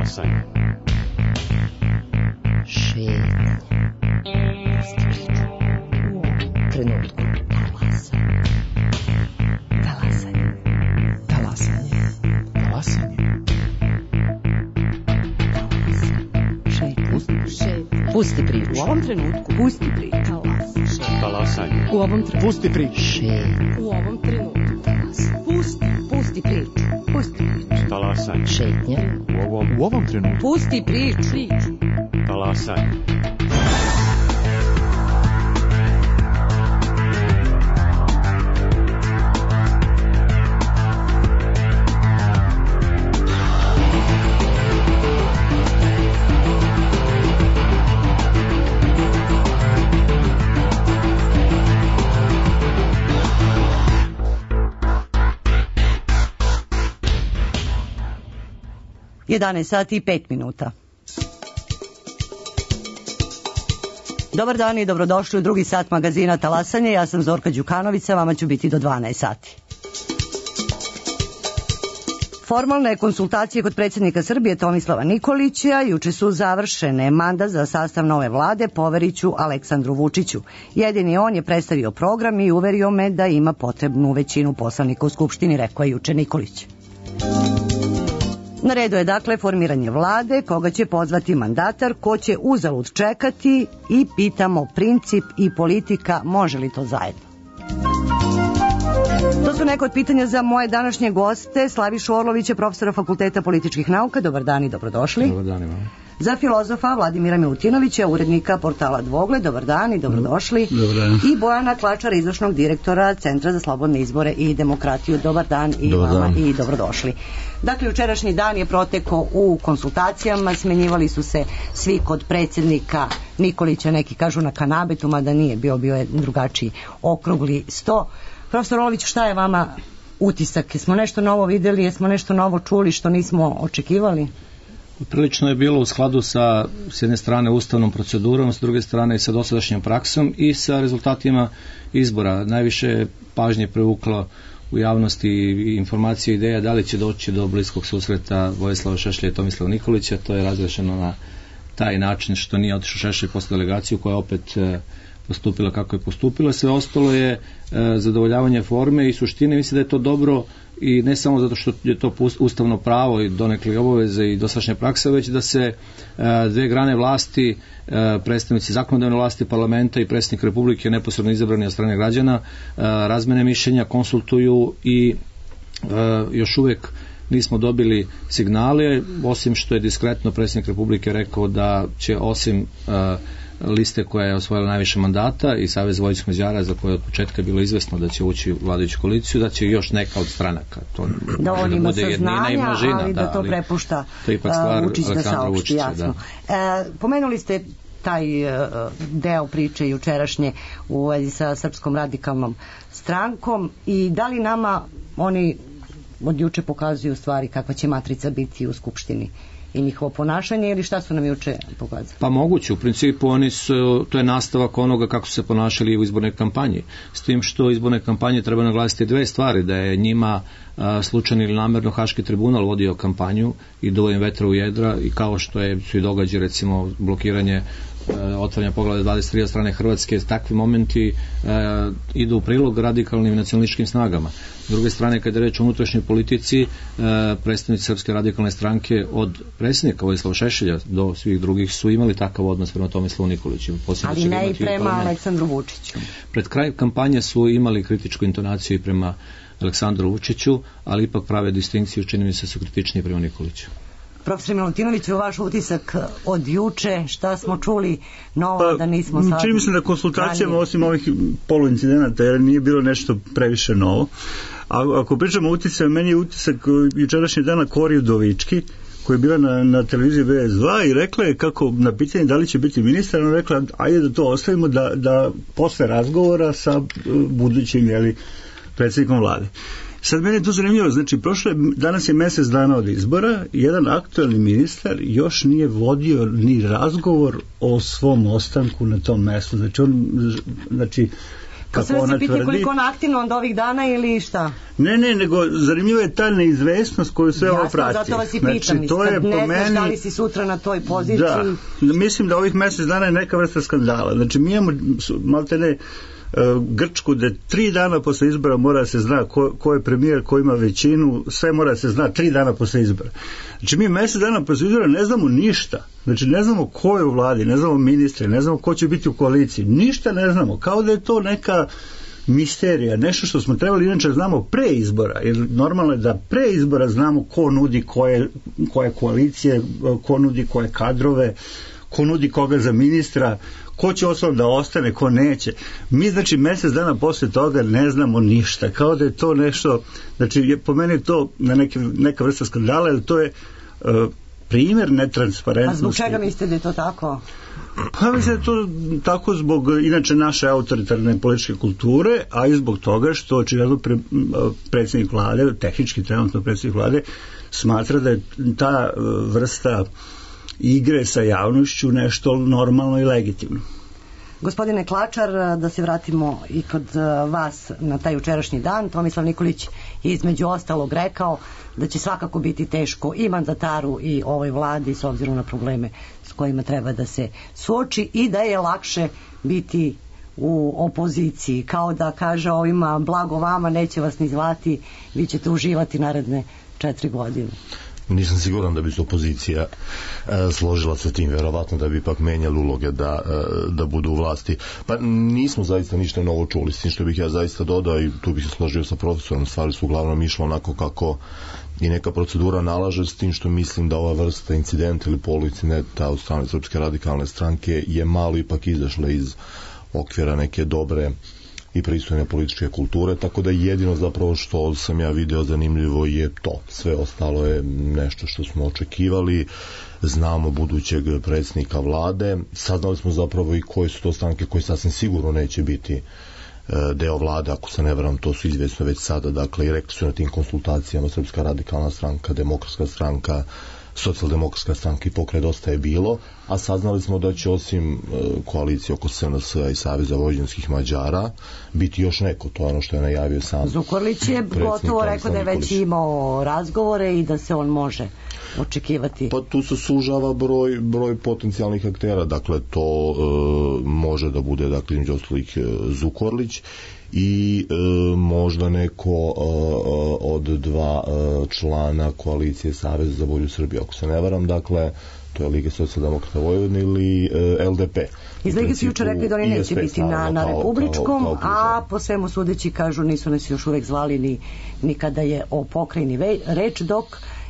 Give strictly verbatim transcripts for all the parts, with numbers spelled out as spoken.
Talasanje. Šetnja. Trenutku. Talasanje. Talasanje. Talasanje. Pusti priču. U ovom trenutku. Pusti priču. Talasanje. U ovom trenutku. Pusti priču. Šetnja. U ovom trenutku. Pusti. Pusti priču. Pusti priču. Talasanje. Šetnja. U ovom, U ovom trenutku. Pusti priču. Priču. talasanje. jedanaest sati i pet minuta. Dobar dan i dobrodošli u drugi sat magazina Talasanje. Ja sam Zorka Đukanović, a vama ću biti do dvanaest sati. Formalne konsultacije kod predsjednika Srbije Tomislava Nikolića juče su završene. Mandat za sastav nove vlade poveriću Aleksandru Vučiću. Jedini on je predstavio program i uverio me da ima potrebnu većinu poslanika u Skupštini, rekao je juče Nikolić. Na redu je dakle formiranje vlade, koga će pozvati mandatar, ko će uzalud čekati i pitamo princip i politika, može li to zajedno? To su neka od pitanja za moje današnje goste, Slavišu Orlovića, profesora Fakulteta političkih nauka. Dobar dan i dobrodošli. Dobar dan imamo. Za filozofa Vladimira Milutinovića, urednika portala Dvogled. Dobar dan i dobrodošli. Dobar dan. I Bojana Klačara, izvršnog direktora Centra za slobodne izbore i demokratiju. Dobar dan i Dobar vama dan. i dobrodošli. Dakle, jučerašnji dan je protekao u konsultacijama, smenjivali su se svi kod predsjednika Nikolića, neki kažu na kanabetu, mada nije bio, bio je drugačiji okrugli sto. Profesor Orlović, šta je vama utisak? Jesmo nešto novo vidjeli, jesmo nešto novo čuli što nismo očekivali? Prilično je bilo u skladu sa s jedne strane ustavnom procedurom, s druge strane i sa dosadašnjom praksom i sa rezultatima izbora. Najviše pažnje privuklo u javnosti i informacije i ideja da li će doći do bliskog susreta Vojislava Šešelja i Tomislava Nikolića. To je razrešeno na taj način što nije otišao Šešelj posle delegaciju koja opet e, postupila kako je postupila. Sve ostalo je e, zadovoljavanje forme i suštine. Mislim da je to dobro i ne samo zato što je to ustavno pravo i donekle obaveze i dosadašnja praksa, već da se e, dve grane vlasti, e, predstavnici zakonodavne vlasti, parlamenta i predsjednik Republike neposredno izabrani od strane građana, e, razmene mišljenja, konsultuju i e, još uvijek nismo dobili signale, osim što je diskretno predsjednik Republike rekao da će osim e, liste koja je osvojila najviše mandata i Savez vojvođanskih Mađara, za koje od početka je bilo izvesno da će ući u vladajuću koaliciju, da će još neka od stranaka. To da on ima saznanja, i množina, ali da, da to ali prepušta to je ipak stvar Vučić da Aleksandra saopšti, Vučića, jasno. da. E, pomenuli ste taj e, deo priče jučerašnje u vezi sa Srpskom radikalnom strankom i da li nama oni od juče pokazuju stvari kakva će matrica biti u Skupštini i njihovo ponašanje ili šta su nam juče pokazali? Pa moguće, u principu oni su, to je nastavak onoga kako su se ponašali u izbornoj kampanji. S tim što u izbornoj kampanji treba naglasiti dve stvari, da je njima a, slučajno ili namjerno Haški tribunal vodio kampanju i duo im vetra u jedra i kao što je, su i događaj recimo blokiranje otvaranja poglavlja dvadeset tri od strane Hrvatske, takvi momenti e, idu u prilog radikalnim nacionalističkim snagama. S druge strane, kada je reč o unutrašnjoj politici, e, predstavnici Srpske radikalne stranke od predsjednika Vojislava Šešelja do svih drugih su imali takav odnos prema Tomislavu Nikoliću. Ali ne i prema Aleksandru Vučiću. Pred kraj kampanje su imali kritičku intonaciju i prema Aleksandru Vučiću, ali ipak prave distinkciju, čini mi se, su kritičniji prema Nikoliću. Profesor Milutinović, vaš utisak od juče, šta smo čuli novo pa, da nismo sad... Čini mi se da konsultacijama, ranije, osim ovih poluincidenata, jer nije bilo nešto previše novo. A ako pričamo o utisaju, meni je utisak jučerašnji dana Kori Udovički, koja je bila na, na televiziji B S dva i rekla je kako na pitanje da li će biti ministar, ona rekla ajde da to ostavimo da, da posle razgovora sa budućim jeli, predsjednikom vlade. Sad meni je to zanimljivo, znači prošle, danas je mjesec dana od izbora, jedan aktualni ministar još nije vodio ni razgovor o svom ostanku na tom mjestu, znači on, znači kako ona ona tvrdi. tvrdi. Koliko on aktivno od ovih dana ili šta? Ne, ne, nego zanimljiva je ta neizvesnost koju sve ovo prati. Jasno, zato vas i pitam, znači, to je ne po znaš meni, da li si sutra na toj poziciji. Da, mislim da ovih mjesec dana je neka vrsta skandala. Znači, mi imamo malte ne Grčku, da tri dana posle izbora mora se zna ko, ko je premijer, ko ima većinu, sve mora se zna tri dana posle izbora. Znači mi mjesec dana posle izbora ne znamo ništa. Znači ne znamo ko je u vladi, ne znamo ministre, ne znamo ko će biti u koaliciji, ništa ne znamo. Kao da je to neka misterija, nešto što smo trebali inače znamo pre izbora, jer normalno je da pre izbora znamo ko nudi koje, koje koalicije, ko nudi koje kadrove, ko nudi koga za ministra, ko će osnovno da ostane, ko neće. Mi, znači, mjesec dana posle toga ne znamo ništa. Kao da je to nešto, znači, je, po meni je to na neke, neka vrsta skandala, jer to je uh, primjer netransparentnosti. A zbog čega mislite da je to tako? Pa mislim da je to tako zbog inače naše autoritarne političke kulture, a i zbog toga što očigledno pre, predsjednik vlade, tehnički trenutno predsjednik vlade, smatra da je ta vrsta igre sa javnošću nešto normalno i legitimno. Gospodine Klačar, da se vratimo i kod vas na taj jučerašnji dan. Tomislav Nikolić je između ostalog rekao da će svakako biti teško i mandataru i ovoj vladi s obzirom na probleme s kojima treba da se suoči i da je lakše biti u opoziciji, kao da kaže ovima blago vama, neće vas ni zvati, vi ćete uživati naredne četiri godine. Nisam siguran da bi se opozicija e, složila sa tim, verovatno da bi ipak menjali uloge da, e, da budu u vlasti. Pa nismo zaista ništa novo čuli, s tim što bih ja zaista dodao i tu bih se složio sa profesorom, stvari su uglavnom išlo onako kako i neka procedura nalaže, s tim što mislim da ova vrsta incidenta ili poluincidenta od strane Srpske radikalne stranke je malo ipak izašla iz okvira neke dobre i pristojne političke kulture, tako da jedino zapravo što sam ja video zanimljivo je to. Sve ostalo je nešto što smo očekivali, znamo budućeg predsjednika vlade, saznali smo zapravo i koje su to stranke koje sasvim sigurno neće biti deo vlade, ako se ne varam, to su izvjesno već sada, dakle i rekli su na tim konsultacijama Srpska radikalna stranka, Demokratska stranka, Socijaldemokratska stranka i Pokret Dosta je bilo, a saznali smo da će osim e, koalicije oko S N S-a i Saveza vojvođanskih Mađara biti još neko, to je ono što je najavio sam Zukorlić je gotovo rekao da je već imao razgovore i da se on može očekivati. Pa tu se sužava broj, broj potencijalnih aktera, dakle to e, može da bude, dakle, između ostalih Zukorlić i e, možda neko e, od dva e, člana koalicije Saveza za bolju Srbiju, ako se ne varam, dakle to je Liga socijaldemokrata Vojvodine ili e, L D P. Iz Lige su jučer rekli da oni neće biti na, na republičkom, kao, kao a po svemu sudeći kažu nisu nas još uvek zvali ni, ni kada je o pokrajini ve, reč, dok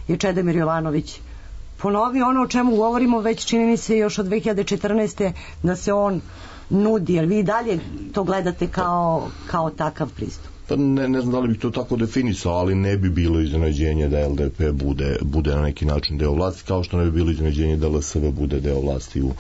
je Čedomir Jovanović ponovio ono o čemu govorimo već čini mi se još od dve hiljade četrnaeste da se on nudi, jer vi dalje to gledate kao, kao takav pristup. Pa ne, ne znam da li bih to tako definisao, ali ne bi bilo iznenađenje da L D P bude, bude na neki način deo vlasti, kao što ne bi bilo iznenađenje da L S V bude deo vlasti u uh,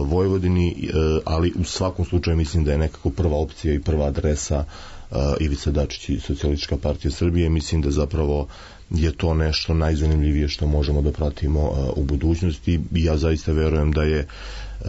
Vojvodini, uh, ali u svakom slučaju mislim da je nekako prva opcija i prva adresa uh, Ivica Dačić i Socijalistička partija Srbije. Mislim da zapravo je to nešto najzanimljivije što možemo da pratimo uh, u budućnosti i ja zaista verujem da je uh,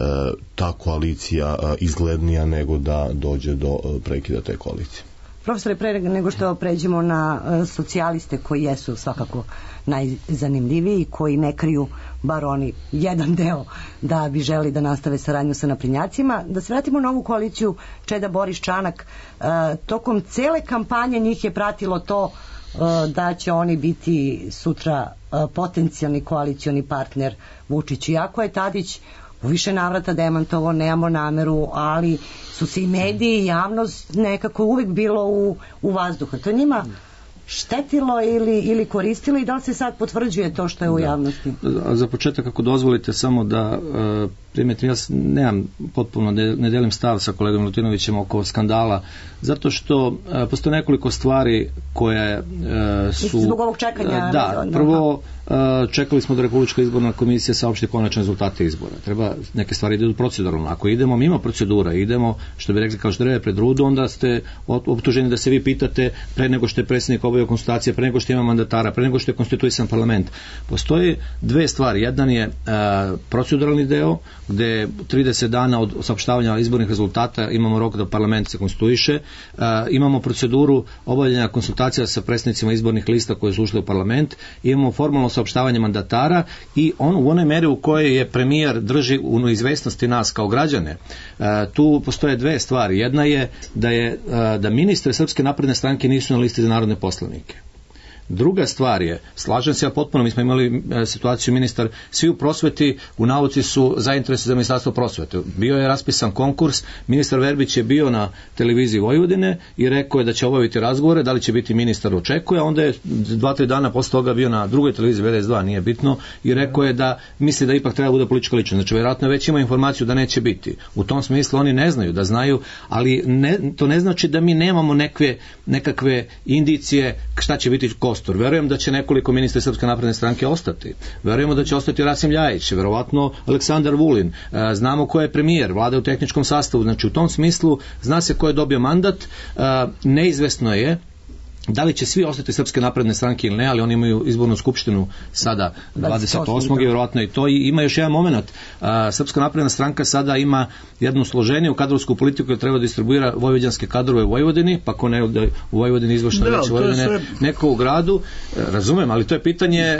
ta koalicija uh, izglednija nego da dođe do uh, prekida te koalicije. Profesore, pre nego što pređemo na uh, socijaliste koji jesu svakako najzanimljiviji, koji ne kriju, bar oni jedan deo, da bi želi da nastave saradnju sa naprednjacima, da se vratimo na ovu koaliciju Čeda Boris Čanak. Uh, tokom cele kampanje njih je pratilo to uh, da će oni biti sutra uh, potencijalni koalicioni partner Vučiću. Iako je Tadić u više navrata demantovo, nemamo nameru, ali su se i mediji i javnost nekako uvek bilo u, u vazduhu. To njima štetilo ili, ili koristilo i da li se sad potvrđuje to što je u javnosti? Da. Za početak, ako dozvolite, samo da uh, primetim, ja nemam potpuno, ne, ne delim stav sa kolegom Milutinovićem oko skandala, zato što uh, postoje nekoliko stvari koje uh, su... Zbog ovog čekanja? Uh, da, prvo uh, čekali smo da Republička izborna komisija saopšti konačne rezultate izbora. Treba neke stvari idu proceduralno. Ako idemo mimo procedura, idemo, što bi rekli kao ždreve pred rudu, onda ste optuženi da se vi pitate pre nego što je predsjednik obavio obavio konsultacije, pre nego što ima mandatara, pre nego što je konstituisan parlament. Postoje dve stvari. Jedan je uh, proceduralni deo, gde trideset dana od saopštavanja izbornih rezultata imamo rok da parlament se konstituiše, uh, imamo proceduru obavljanja konsultacija sa predstavnicima izbornih lista koje su ušle u parlament, imamo formalno saopštavanje mandatara i on u onoj meri u kojoj je premijer drži u neizvesnosti nas kao građane. Uh, tu postoje dve stvari. Jedna je da je uh, da ministri Srpske napredne stranke nisu na listi za narodne poslanike. Druga stvar je, slažem se ja potpuno, mi smo imali e, situaciju ministar, svi u prosveti u nauci su zainteresovani za ministarstvo prosvete. Bio je raspisan konkurs, ministar Verbić je bio na televiziji Vojvodine i rekao je da će obaviti razgovore, da li će biti ministar očekuje, a onda je dva, tri dana posle toga bio na drugoj televiziji V D S dva, nije bitno, i rekao je da misli da ipak treba bude politička ličnost. Znači, vjerojatno već ima informaciju da neće biti. U tom smislu oni ne znaju, da znaju, ali ne, to ne znači da mi nemamo nekve, nekakve indicije šta će biti kostur. Verujem da će nekoliko ministra Srpske napredne stranke ostati. Verujemo da će ostati Rasim Ljajić, verovatno Aleksandar Vulin. E, znamo ko je premijer, vlada u tehničkom sastavu. Znači u tom smislu zna se ko je dobio mandat. E, neizvesno je da li će svi ostati Srpske napredne stranke ili ne, ali oni imaju izbornu skupštinu sada dvadeset osmog i vjerojatno i to. I ima još jedan moment. Srpska napredna stranka sada ima jednu složeniju kadrovsku politiku koja treba da distribuira vojvođanske kadrove u Vojvodini, pa ko ne da u Vojvodini izvršna veća Vojvodine, sve... neko u gradu. Razumem, ali to je pitanje,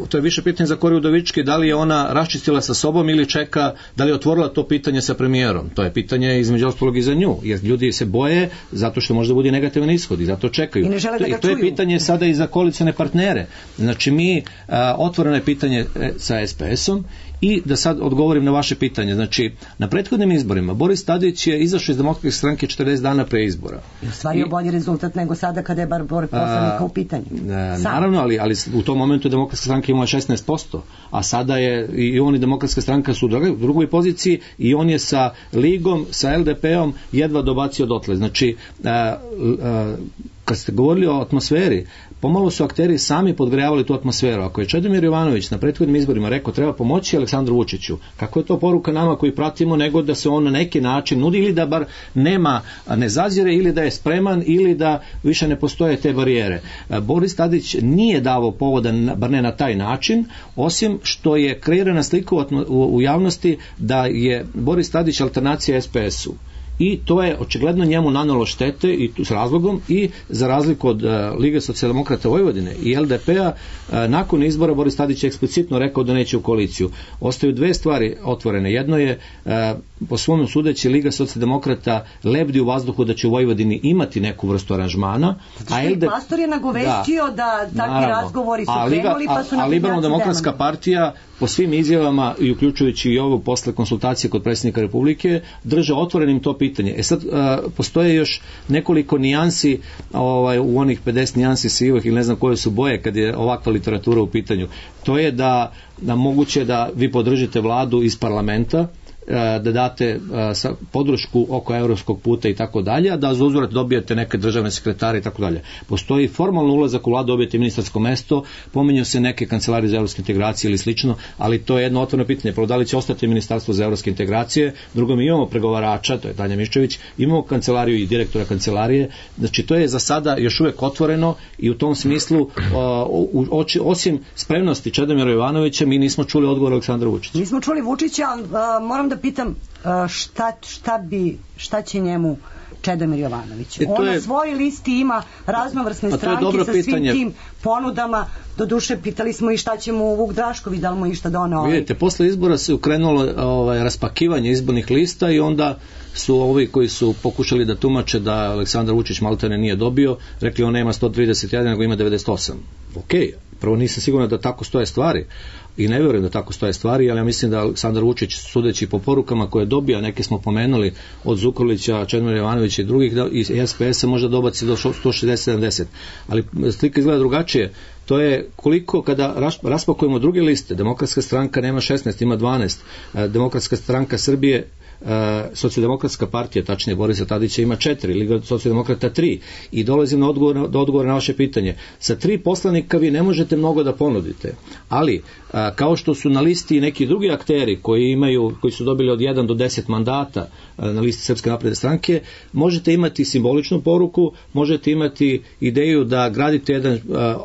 to je više pitanje za Koriju Udovički, da li je ona raščistila sa sobom ili čeka, da li je otvorila to pitanje sa premijerom. To je pitanje između ostalog i za nju, jer ljudi se boje zato što može da bude negativan ishod i zato čekaju. To, i to je pitanje sada i za koalicione partnere. Znači mi, a, otvoreno je pitanje sa S P S-om i da sad odgovorim na vaše pitanje. Znači, na prethodnim izborima Boris Tadić je izašao iz Demokratske stranke četrdeset dana pre izbora. I ostvario bolji rezultat nego sada kada je bar broj poslanika u pitanju. A, naravno, ali, ali u tom momentu je Demokratska stranka imala šesnaest posto, a sada je i on i Demokratska stranka su u drugoj, drugoj poziciji i on je sa Ligom, sa L D P-om jedva dobacio dotle. Znači, a, a, kad ste govorili o atmosferi, pomalo su akteri sami podgrejavali tu atmosferu. Ako je Čedomir Jovanović na prethodnim izborima rekao treba pomoći Aleksandru Vučiću, kako je to poruka nama koji pratimo, nego da se on na neki način nudi ili da bar nema, ne zazire, ili da je spreman, ili da više ne postoje te barijere. Boris Tadić nije davao povoda, bar ne na taj način, osim što je kreirana slika u, u javnosti da je Boris Tadić alternacija S P S-u. I to je očigledno njemu nanalo štete i tu s razlogom i za razliku od uh, Lige socijaldemokrata Vojvodine i L D P-a uh, nakon izbora Boris Tadić je eksplicitno rekao da neće u koaliciju. Ostaju dve stvari otvorene. Jedno je uh, po svom sudeći Liga socijaldemokrata lebdi u vazduhu da će u Vojvodini imati neku vrstu aranžmana. A L D P Pastor je nagovestio da, da takvi naravno, razgovori su krenuli pa su na Liberalno-demokratska partija po svim izjavama i uključujući i ovo posle konsultacije kod predsjednika Republike drže otvorenim to pitanje. E sad, a, postoje još nekoliko nijansi ovaj, u onih pedeset nijansi sivih ili ne znam koje su boje kad je ovakva literatura u pitanju. To je da, da moguće da vi podržite vladu iz parlamenta, da date podršku oko evropskog puta i tako dalje, a da za uzvrat dobijete neke državne sekretare i tako dalje. Postoji formalno ulazak u vladu, dobijete ministarsko mesto, pominju se neke kancelarije za evropske integracije ili slično, ali to je jedno otvoreno pitanje. Prvo, da li će ostati ministarstvo za evropske integracije, drugo, mi imamo pregovarača, to je Tanja Miščević, imamo kancelariju i direktora kancelarije, znači to je za sada još uvek otvoreno i u tom smislu osim spremnosti Čedomira Jovanovića mi nismo čuli odgovor Aleksandra Vučića. Nismo čuli Vučića, moram da pitam šta, šta, bi, šta će njemu Čedomir Jovanović. E, On je, na svojoj listi ima raznovrsne stranke sa svim pitanje. Tim ponudama. Doduše, pitali smo i šta će mu Vuk Drašković, da li mu išta doneo. Ovaj. Vidite, posle izbora se ukrenulo ovaj, raspakivanje izbornih lista i onda su ovi koji su pokušali da tumače da Aleksandar Vučić maltene nije dobio, rekli on nema sto trideset jedan, nego ima devedeset osam. Ok, prvo nisam siguran da tako stoje stvari i ne vjerujem da tako stoje stvari, ali ja mislim da Aleksandar Vučić, sudeći po porukama koje je dobio, neke smo pomenuli od Zukorlića, Čedomira Jovanovića i drugih, da, i S P S-a možda dobaci do sto šezdeset sedamdeset. Ali slika izgleda drugačije. To je koliko kada raspakujemo druge liste, Demokratska stranka nema šesnaest, ima dvanaest, Demokratska stranka Srbije, Socijaldemokratska partija, tačnije Borisa Tadića, ima četiri, Liga socijaldemokrata tri, i dolazim na odgovor, do odgovora na vaše pitanje. Sa tri poslanika vi ne možete mnogo da ponudite, ali a, kao što su na listi neki drugi akteri koji imaju, koji su dobili od jedan do deset mandata a, na listi Srpske napredne stranke, možete imati simboličnu poruku, možete imati ideju da gradite jedan a,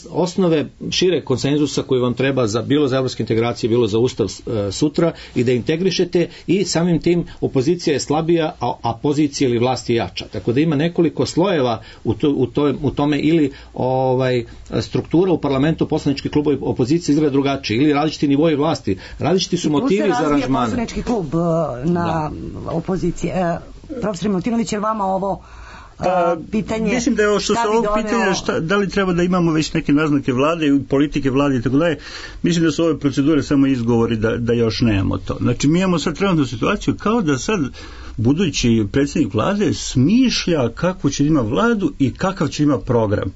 osnove šire konsenzusa koji vam treba za bilo za evropske integracije, bilo za ustav a, sutra, i da integrišete, i samim tim opozicija je slabija, a, a pozicija ili vlast je jača. Tako da ima nekoliko slojeva u, to, u, to, u tome, ili ovaj struktura u parlamentu, poslanički klubovi opozicije izgleda drugačije, ili različiti nivoji vlasti, različiti su motivi za aranžmane. Poslanički klub na da. opozicije. Profesor Milutinović, je vama ovo Pa, pitanje, mislim da je ovo što se ovog pitanja šta, da li treba da imamo već neke naznake vlade, politike vlade i tako dalje, mislim da su ove procedure samo izgovori da, da još nemamo to. Znači mi imamo sad trenutnu situaciju kao da sad budući predsjednik vlade smišlja kako će ima vladu i kakav će ima program.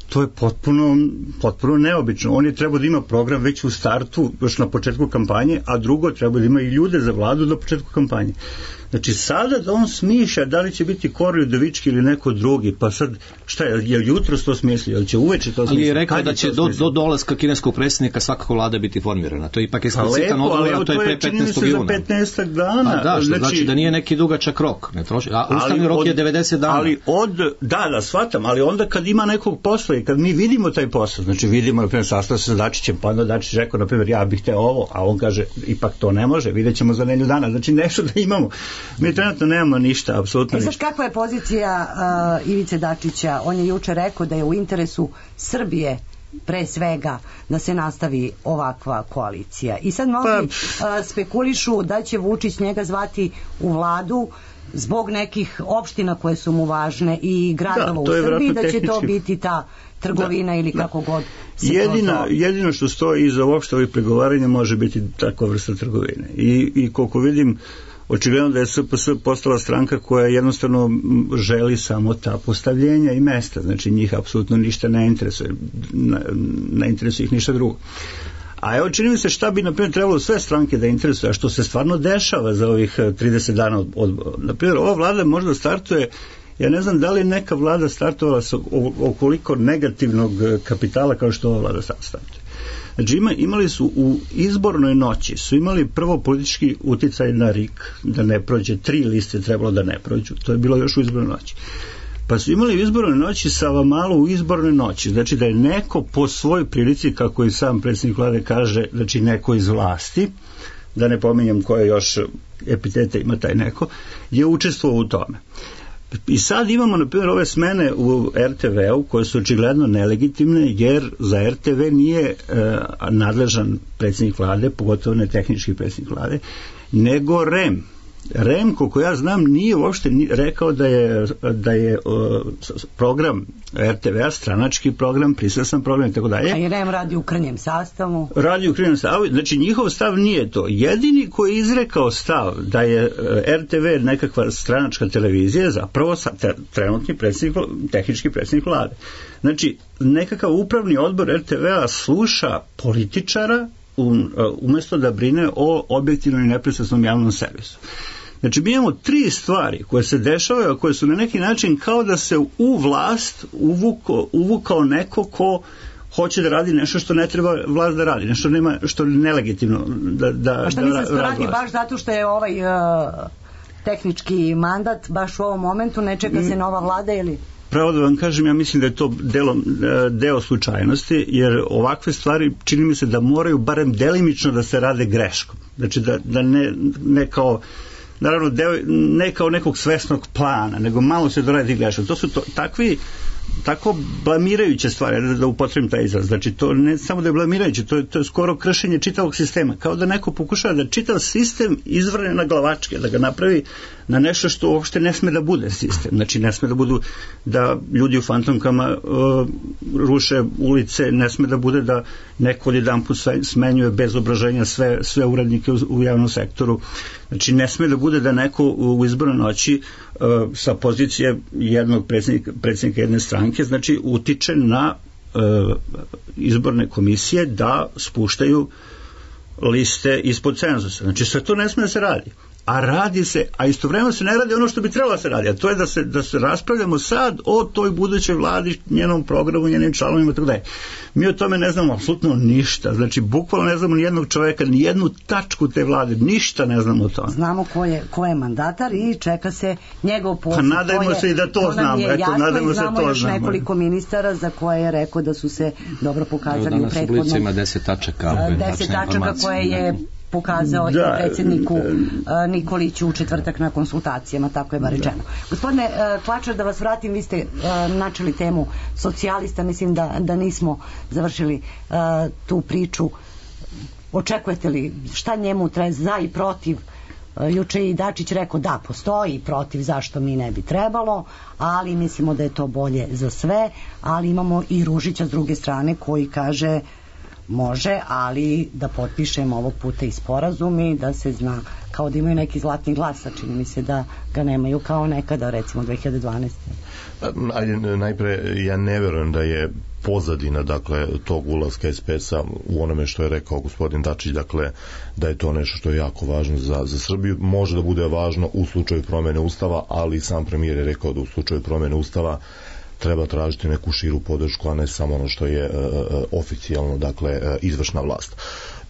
To je potpuno, potpuno neobično. On je trebao da ima program već u startu, još na početku kampanje, a drugo treba da ima i ljude za vladu na početku kampanje. Znači sada da on smišlja da li će biti Kori Udovički ili neko drugi, pa sad šta je, je jutro to smislio, ili će uveče to smislio? Ali je rekao da će do, do dolaska kineskog predsjednika svakako vlada biti formirana. To je ipak eksplicitan odgovor, a to je pre petnaestog juna. Za petnaestak dana. A da, što znači, znači da nije neki dugačak rok. Ne troši, a ustavni rok od, je devedeset dana. Ali od, da, da, shvatam, ali onda kad ima nekog posla i kad mi vidimo taj posao, znači vidimo, na primjer, sastav se sa Dačićem, pa onda Dačić rekao, na primjer, ja bih te ovo, a on kaže, ipak to ne može, vidjet ćemo za nedelju dana. Znači nešto da imamo. Mi trenutno nemamo ništa, apsolutno ništa. E sad, kakva je pozicija uh, Ivice Dačića? On je juče rekao da je u interesu Srbije pre svega da se nastavi ovakva koalicija. I sad mnogi pa, uh, spekulišu da će Vučić njega zvati u vladu zbog nekih opština koje su mu važne i gradova da, u Srbiji, da će tehnički to biti ta trgovina da, ili kako da. god se jedina, to jedino što stoji iza uopšte ovih pregovaranja može biti takva vrsta trgovine. I, i koliko vidim, očigledno da je S P S postala stranka koja jednostavno želi samo ta postavljenja i mesta, znači njih apsolutno ništa ne interesuje, ne interesuje ih ništa drugo. A evo, čini mi se šta bi, na primjer, trebalo sve stranke da interesuje, a što se stvarno dešava za ovih trideset dana od, od na primjer, ova vlada možda startuje, ja ne znam da li neka vlada startovala sa okoliko negativnog kapitala kao što ova vlada startuje. Znači ima, imali su u izbornoj noći, su imali prvo politički uticaj na R I K, da ne prođe, tri liste trebalo da ne prođu, to je bilo još u izbornoj noći. Pa su imali u izbornoj noći Savamalu u izbornoj noći, znači da je neko po svojoj prilici, kako i sam predsjednik vlade kaže, znači neko iz vlasti, da ne pominjem koje još epitete ima taj neko, je učestvovao u tome. I sad imamo, na primjer, ove smene u R T V-u koje su očigledno nelegitimne, jer za R T V nije e, nadležan predsjednik vlade, pogotovo ne tehnički predsjednik vlade, nego R E M. R E M, koliko ja znam, nije uopšte rekao da je, da je uh, program R T V-a stranački program, pristrasan program i tako dalje. A i R E M radi u krnjem sastavu. Radi u krnjem sastavu, znači njihov stav nije to. Jedini koji je izrekao stav da je uh, R T V nekakva stranačka televizija je zapravo sa, te, trenutni predsjednik, tehnički predsjednik vlade. Znači, nekakav upravni odbor R T V-a sluša političara umjesto da brine o objektivnom i nepristrasnom javnom servisu. Znači, mi imamo tri stvari koje se dešavaju, a koje su na neki način kao da se u vlast uvukao, uvukao neko ko hoće da radi nešto što ne treba vlast da radi, nešto nema, što je nelegitimno da, da, a što da misliš da radi vlast. Baš zato što je ovaj uh, tehnički mandat baš u ovom momentu, ne čeka se nova vlada ili... Pravo da vam kažem, ja mislim da je to delo, deo slučajnosti, jer ovakve stvari čini mi se da moraju barem delimično da se rade greškom. Znači da, da ne, ne kao naravno deo, ne kao nekog svesnog plana, nego malo se doradi greškom. To su to, takvi tako blamirajuće stvari, da, da upotrebim taj izraz. Znači, to ne samo da je blamirajuće, to je, to je skoro kršenje čitavog sistema. Kao da neko pokušava da čitav sistem izvrne na glavačke, da ga napravi na nešto što uopšte ne sme da bude sistem. Znači, ne sme da budu da ljudi u fantomkama uh, ruše ulice, ne sme da bude da neko jedan put smenjuje bez obraženja sve, sve uradnike u, u javnom sektoru. Znači, ne sme da bude da neko u, u izbornoj noći uh, sa pozicije jednog predsjednika, predsjednika jedne stranke, znači utiče na uh, izborne komisije da spuštaju liste ispod cenzusa. Znači sve to ne smije da se radi. a radi se, a istovremeno se ne radi ono što bi trebalo da se radi, a to je da se, da se raspravljamo sad o toj budućoj vladi, njenom programu, njenim članovima, tako da je. Mi o tome ne znamo apsolutno ništa, znači bukvalno ne znamo ni jednog čoveka, ni jednu tačku te vlade, ništa ne znamo o tome. Znamo ko je, ko je mandatar i čeka se njegov posao. Pa nadajmo se i da to, to znamo, eto, nadajmo se to znamo. Još nekoliko ministara za koje je rekao da su se dobro pokazali Evo, u prethodnom. Danas u Blicu ima deset tačaka. deset tačaka koje je pokazao da, i predsjedniku uh, Nikoliću u četvrtak na konsultacijama, tako je bar rečeno. Da. Gospodine uh, Klačar, da vas vratim, vi ste uh, načeli temu socijalista, mislim da, da nismo završili uh, tu priču. Očekujete li šta njemu treba za i protiv? Uh, juče i Dačić rekao da, postoji protiv, zašto mi ne bi trebalo, ali mislimo da je to bolje za sve, ali imamo i Ružića s druge strane koji kaže može, ali da potpišemo ovog puta i sporazum i da se zna, kao da imaju neki zlatni glas, a čini mi se da ga nemaju kao nekada, recimo dve hiljade dvanaeste. Ajde, najpre, ja ne verujem da je pozadina, dakle, tog ulaska es pe es-a u onome što je rekao gospodin Dačić, dakle, da je to nešto što je jako važno za, za Srbiju. Može da bude važno u slučaju promene Ustava, ali sam premijer je rekao da u slučaju promene Ustava treba tražiti neku širu podršku, a ne samo ono što je uh, oficijalno, dakle, uh, izvršna vlast.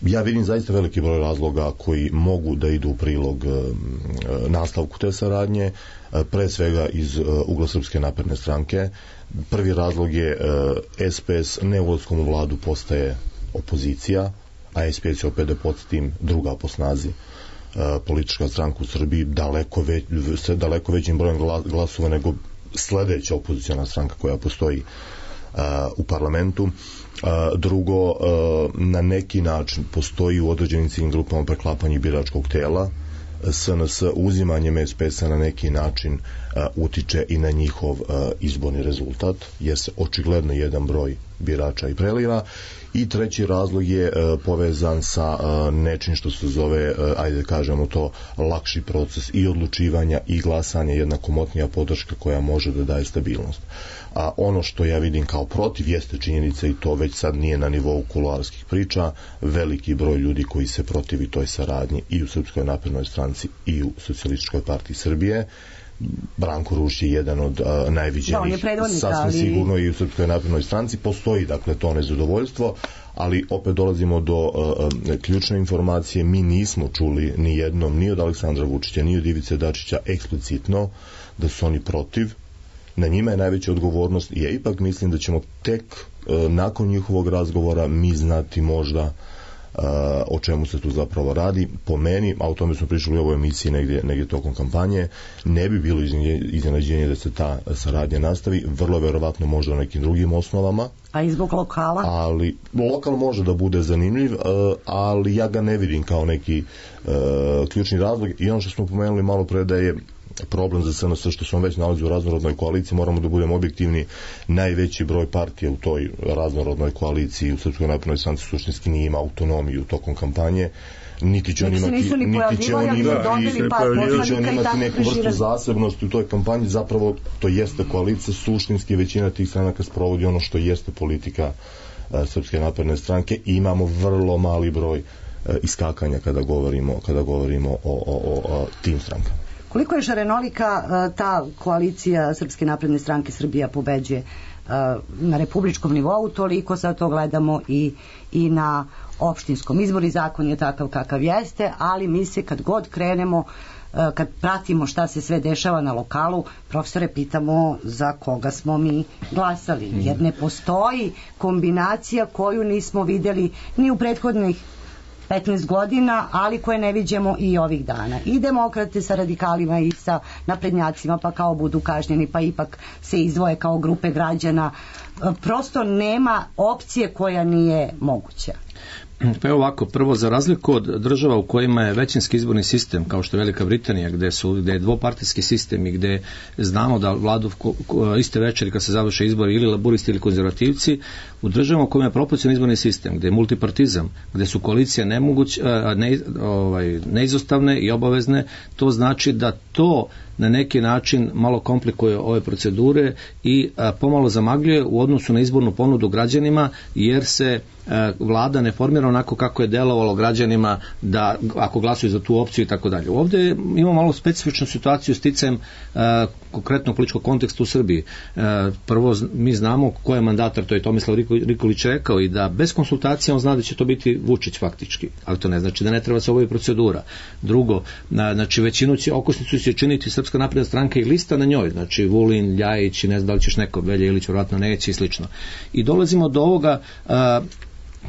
Ja vidim zaista veliki broj razloga koji mogu da idu u prilog uh, nastavku te saradnje, uh, pre svega iz uh, ugla Srpske napredne stranke. Prvi razlog je uh, es pe es neulaskom u vladu postaje opozicija, a es pe es je opet da podsjetim druga po snazi uh, politička stranka u Srbiji, daleko, već, daleko većim brojem glasova nego sledeća opozicijona stranka koja postoji uh, u parlamentu. Uh, drugo, uh, na neki način postoji u određenim ciljnim grupama preklapanje biračkog tela. es en es uzimanjem es pe es-a na neki način uh, utiče i na njihov uh, izborni rezultat, jer se očigledno jedan broj birača i preliva. I treći razlog je uh, povezan sa uh, nečim što se zove, uh, ajde da kažemo to, lakši proces i odlučivanja i glasanja, jedna komotnija podrška koja može da daje stabilnost. A ono što ja vidim kao protiv jeste činjenica, i to već sad nije na nivou kuloarskih priča, veliki broj ljudi koji se protivi toj saradnji i u Srpskoj naprednoj stranci i u Socijalističkoj partiji Srbije. Branko Ružić je jedan od uh, najviđenijih, da, sasvim ali... sigurno i u Srpskoj naprednoj stranci postoji, dakle, to nezadovoljstvo, ali opet dolazimo do uh, ključne informacije. Mi nismo čuli ni jednom, ni od Aleksandra Vučića, ni od Ivice Dačića eksplicitno da su oni protiv. Na njima je najveća odgovornost i ja ipak mislim da ćemo tek uh, nakon njihovog razgovora mi znati možda Uh, o čemu se tu zapravo radi. Po meni, a o tome smo pričali u ovoj emisiji negdje, negdje tokom kampanje, ne bi bilo iznenađenje da se ta saradnja nastavi, vrlo verovatno možda na nekim drugim osnovama. A i zbog lokala? Ali, lokal može da bude zanimljiv, uh, ali ja ga ne vidim kao neki uh, ključni razlog. I ono što smo pomenuli malo pre da je problem za es en es što smo već nalazi u raznorodnoj koaliciji, moramo da budemo objektivni, najveći broj partija u toj raznorodnoj koaliciji u Srpskoj naprednoj stranci suštinski nije ima autonomiju tokom kampanje, niti će on imati niti će on imati niti će on imati neku vrstu zasebnosti u toj kampanji. Zapravo to jeste koalicija, suštinski većina tih stranaka sprovodi ono što jeste politika uh, Srpske napredne stranke i imamo vrlo mali broj uh, iskakanja kada govorimo, kada govorimo o, o, o, o tim strankama. Koliko je šarenolika ta koalicija Srpske napredne stranke Srbija pobeđuje na republičkom nivou, toliko sad to gledamo i, i na opštinskom. Izborni zakon je takav kakav jeste, ali mi se kad god krenemo, kad pratimo šta se sve dešava na lokalu, profesore, pitamo za koga smo mi glasali, jer ne postoji kombinacija koju nismo videli ni u prethodnih petnaest godina, ali koje ne viđemo i ovih dana. I demokrate sa radikalima i sa naprednjacima, pa kao budu kažnjeni, pa ipak se izdvoje kao grupe građana. Prosto nema opcije koja nije moguća. Pa je ovako, prvo, za razliku od država u kojima je većinski izborni sistem, kao što je Velika Britanija, gde, su, gde je dvopartijski sistem i gde znamo da vladu ko, ko, iste večeri kad se završe izbori ili laburisti ili konzervativci, u državama u kojima je proporcionalni izborni sistem, gde je multipartizam, gde su koalicije nemoguć, ne, ovaj, neizostavne i obavezne, to znači da to na neki način malo komplikuje ove procedure i a, pomalo zamagljuje u odnosu na izbornu ponudu građanima, jer se a, vlada ne formira onako kako je delovalo građanima da ako glasuju za tu opciju i tako dalje. Ovdje imamo malo specifičnu situaciju sticajem a, konkretnog političkog konteksta u Srbiji. A, prvo mi znamo ko je mandatar, to je Tomislav Nikolić rekao, i da bez konsultacija on zna da će to biti Vučić faktički, ali to ne znači da ne treba se obavi procedura. Drugo, na, znači većinu će, okosnicu će činiti Srpska napredna stranka i lista na njoj, znači Vulin, Ljajić i ne znam da li ćeš neko, Velja Ilić vjerojatno neće i slično. I dolazimo do ovoga a,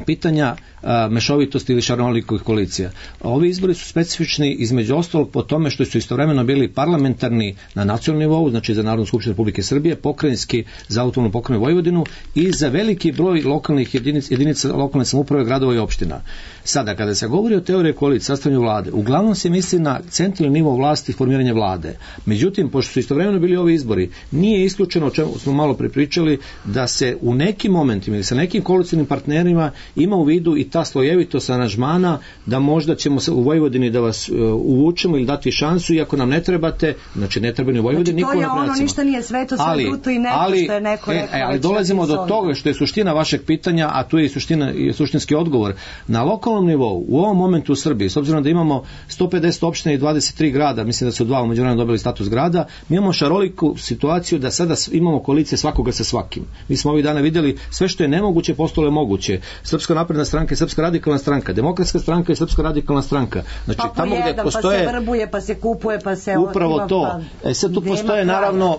pitanja a, mešovitosti ili šarolikovih koalicija. Ovi izbori su specifični između ostalog po tome što su istovremeno bili parlamentarni na nacionalnom nivou, znači za Narodnu skupštinu Republike Srbije, pokrajinski za autonomnu pokrajinu Vojvodinu i za veliki broj lokalnih jedinica, jedinica lokalne samouprave, gradova i opština. Sada, kada se govori o teoriji koalicije, sastavljanju vlade, uglavnom se misli na centralni nivo vlasti i formiranje vlade. Međutim, pošto su istovremeno bili ovi izbori, nije isključeno, o čemu smo malo prepričali, da se u nekim momentima ili sa nekim koalicijnim partnerima ima u vidu i ta slojevitost aranžmana, da možda ćemo u Vojvodini da vas uh, uvučemo ili dati šansu, iako nam ne trebate, znači ne treba ni u Vojvodini, znači, niko ono ništa nije sveto, sve ali, duto i neko ali, što je neko e, rekao. ali dolazimo do toga što je suština vašeg pitanja, a tu je i suština, i suštinski odgovor. Na lokalnom nivou, u ovom momentu u Srbiji, s obzirom da imamo sto pedeset opština i dvadeset tri grada, mislim da su dva u međuvremenu dobili status grada, mi imamo šaroliku situaciju da sada imamo koalicije svakoga sa svakim. Mi smo ovih dana vidjeli sve što je nemoguće postalo je moguće. Srpska napredna stranka i Srpska radikalna stranka, Demokratska stranka i Srpska radikalna stranka. Znači pa tamo jedan, gdje postoje pa se vrbuje, pa se kupuje, pa se upravo ima, to. Pa, e sad tu postoje naravno,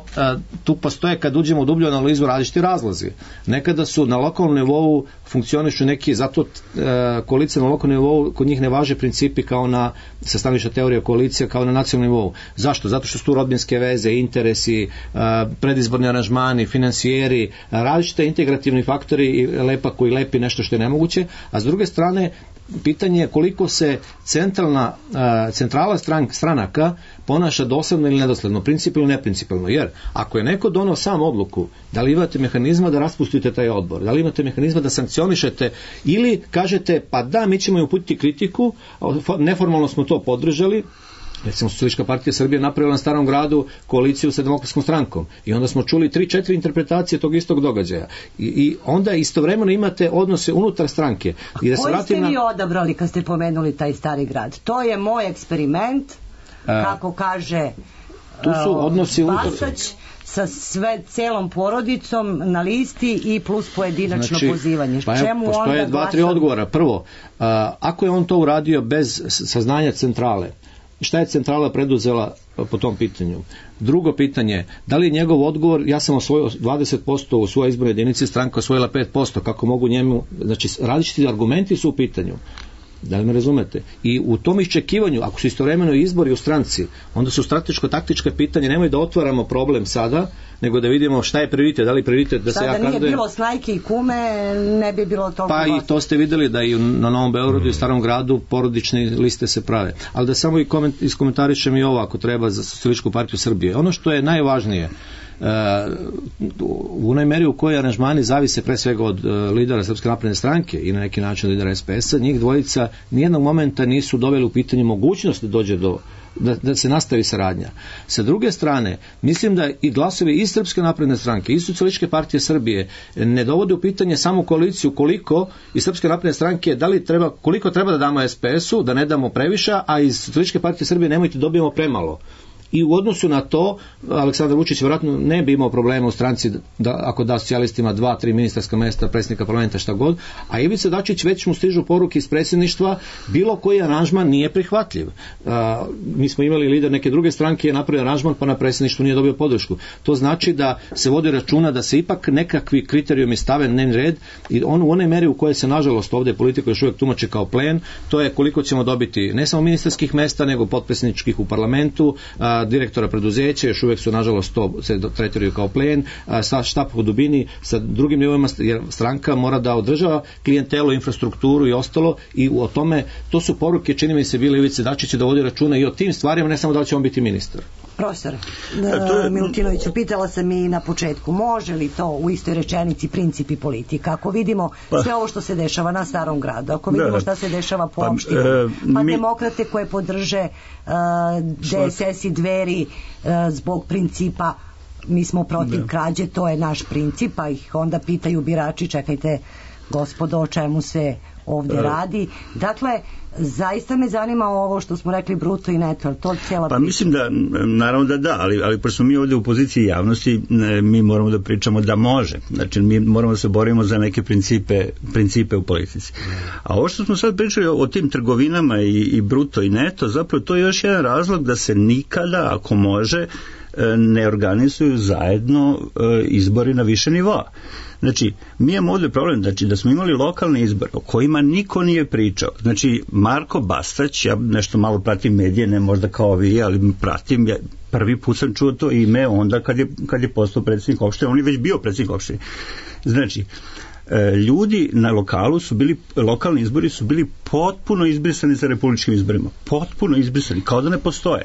tu postoje kad uđemo u dublju analizu različiti razlozi. Nekada su na lokalnom nivou funkcionišu neki, zato koalicija na lokalnom nivou, kod njih ne važe principi kao na sastavnična teorija koalicija kao na nacionalnom nivou. Zašto? Zato što su tu rodbinske veze, interesi, predizborni aranžmani, finansijeri, različite integrativni faktori i lepa koji lepi nešto što je nemoguće, a s druge strane pitanje je koliko se centralna, centrala stran, stranaka ponaša dosledno ili nedosledno, principijalno ili neprincipijalno, jer ako je neko donao sam odluku, da li imate mehanizma da raspustite taj odbor, da li imate mehanizma da sankcionišete ili kažete pa da, mi ćemo uputiti kritiku, neformalno smo to podržali, recimo Socijalistička partija Srbije napravila na Starom gradu koaliciju sa Demokratskom strankom i onda smo čuli tri, četiri interpretacije tog istog događaja i, i onda istovremeno imate odnose unutar stranke. I da se koji ste na... vi odabrali kad ste pomenuli taj Stari grad? To je moj eksperiment, A, kako kaže tu su odnosi Bastać, sa sve celom porodicom na listi i plus pojedinačno znači, pozivanje. Pa Čemu postoje onda dva, tri odgovora. Prvo, a, ako je on to uradio bez saznanja centrale, šta je centrala preduzela po tom pitanju? Drugo pitanje, da li je njegov odgovor, ja sam osvojio dvadeset posto u svojoj izbornoj jedinici, stranka osvojila pet posto, kako mogu njemu, znači različiti argumenti su u pitanju. Da li me razumete? I u tom iščekivanju, ako su istovremeno izbori u stranci, onda su strateško-taktičke pitanje, nemoj da otvaramo problem sada, nego da vidimo šta je prioritet, da li prioritet da sada se ja kandidujem. Sada nije bilo Snajke i Kume, ne bi bilo toliko. Pa i to ste vidjeli da i na Novom Beogradu i Starom gradu porodične liste se prave. Ali da samo i koment, iskomentarišem i ovo ako treba za Socijalističku partiju Srbije. Ono što je najvažnije, Uh, u onoj meri u kojoj aranžmani zavise pre svega od uh, lidera Srpske napredne stranke i na neki način lidera es pe es a, njih dvojica nijednog momenta nisu doveli u pitanje mogućnost da dođe do Da, da se nastavi saradnja. Sa druge strane, mislim da i glasovi i Srpske napredne stranke i Socijalističke partije Srbije ne dovode u pitanje samo koaliciju koliko i Srpske napredne stranke da li treba, koliko treba da damo es pe es u, da ne damo previše, a iz Socijalističke partije Srbije nemojte dobijemo premalo. I u odnosu na to, Aleksandar Vučić vjerojatno ne bi imao problema u stranci da, ako da socijalistima dva, tri ministarska mesta, predsjednika parlamenta, šta god, a Ivica Dačić već mu stižu poruke iz predsjedništva, bilo koji aranžman nije prihvatljiv. A, mi smo imali lider neke druge stranke, je napravio aranžman, pa na predsjedništvu nije dobio podršku. To znači da se vodi računa da se ipak nekakvi kriterijumi stave na dnevni red i on u onoj meri u kojoj se nažalost ovdje politika još uvijek tumači kao plen, to je koliko ćemo dobiti ne samo ministarskih mesta, nego potpredsjedničkih u parlamentu, a, direktora preduzeća, još uvijek su nažalost to se tretiraju kao plen, sa štap u dubini, sa drugim nivoima, jer stranka mora da održava klijentelu, infrastrukturu i ostalo i o tome, to su poruke, čini mi se bile Ivice Dačića da vodi računa i o tim stvarima, ne samo da li će on biti ministar. Profesor Da, to je- Milutinoviću, pitala sam i na početku, može li to u istoj rečenici princip i politika? Ako vidimo Pa- sve ovo što se dešava na Starom gradu, ako Da, vidimo da. šta se dešava po Pa, opštinama, e, pa mi- demokrate koje podrže uh, D S S i Dveri uh, zbog principa mi smo protiv Da. krađe, to je naš princip, pa ih onda pitaju birači, čekajte gospodo, o čemu se ovde E. radi. Dakle, zaista me zanima ovo što smo rekli bruto i neto, ali to cijela Pa priča. mislim da, naravno da da, ali, ali pošto smo mi ovdje u poziciji javnosti, ne, mi moramo da pričamo da može. Znači, mi moramo da se borimo za neke principe, principe u politici. A ovo što smo sad pričali o, o tim trgovinama i, i bruto i neto, zapravo to je još jedan razlog da se nikada, ako može, e, ne organizuju zajedno e, izbori na više nivoa. Znači, mi imamo ovdje problem, znači da smo imali lokalne izbore o kojima niko nije pričao. Znači, Marko Bastać, ja nešto malo pratim medije, ne možda kao vi, ali pratim, ja prvi put sam čuo to ime onda kad je, kad je postao predsjednik opštine, on je već bio predsjednik opštine. Znači, e, ljudi na lokalu su bili, lokalni izbori su bili potpuno izbrisani sa republičkim izborima. Potpuno izbrisani, kao da ne postoje.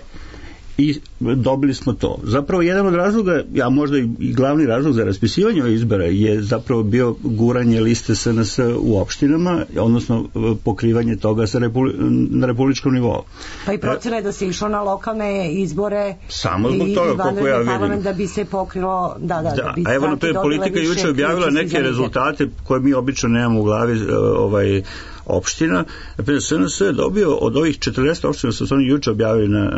I dobili smo to. Zapravo jedan od razloga, a možda i glavni razlog za raspisivanje ovih izbora je zapravo bio guranje liste S N S u opštinama, odnosno pokrivanje toga sa repuli, na republičkom nivou. Pa i procena je da se išlo na lokalne izbore Samo zbog i- toga, i koliko vanredni ja vidim. parlament da bi se pokrilo, da, da, da, Da, bi a evo na stranke to je dobile politika više juče objavila ključa neke za lider. rezultate koje mi obično nemamo u glavi, e, ovaj opština. Naprimjer, S N S je dobio od ovih četrdeset opština, su oni juče objavili na e,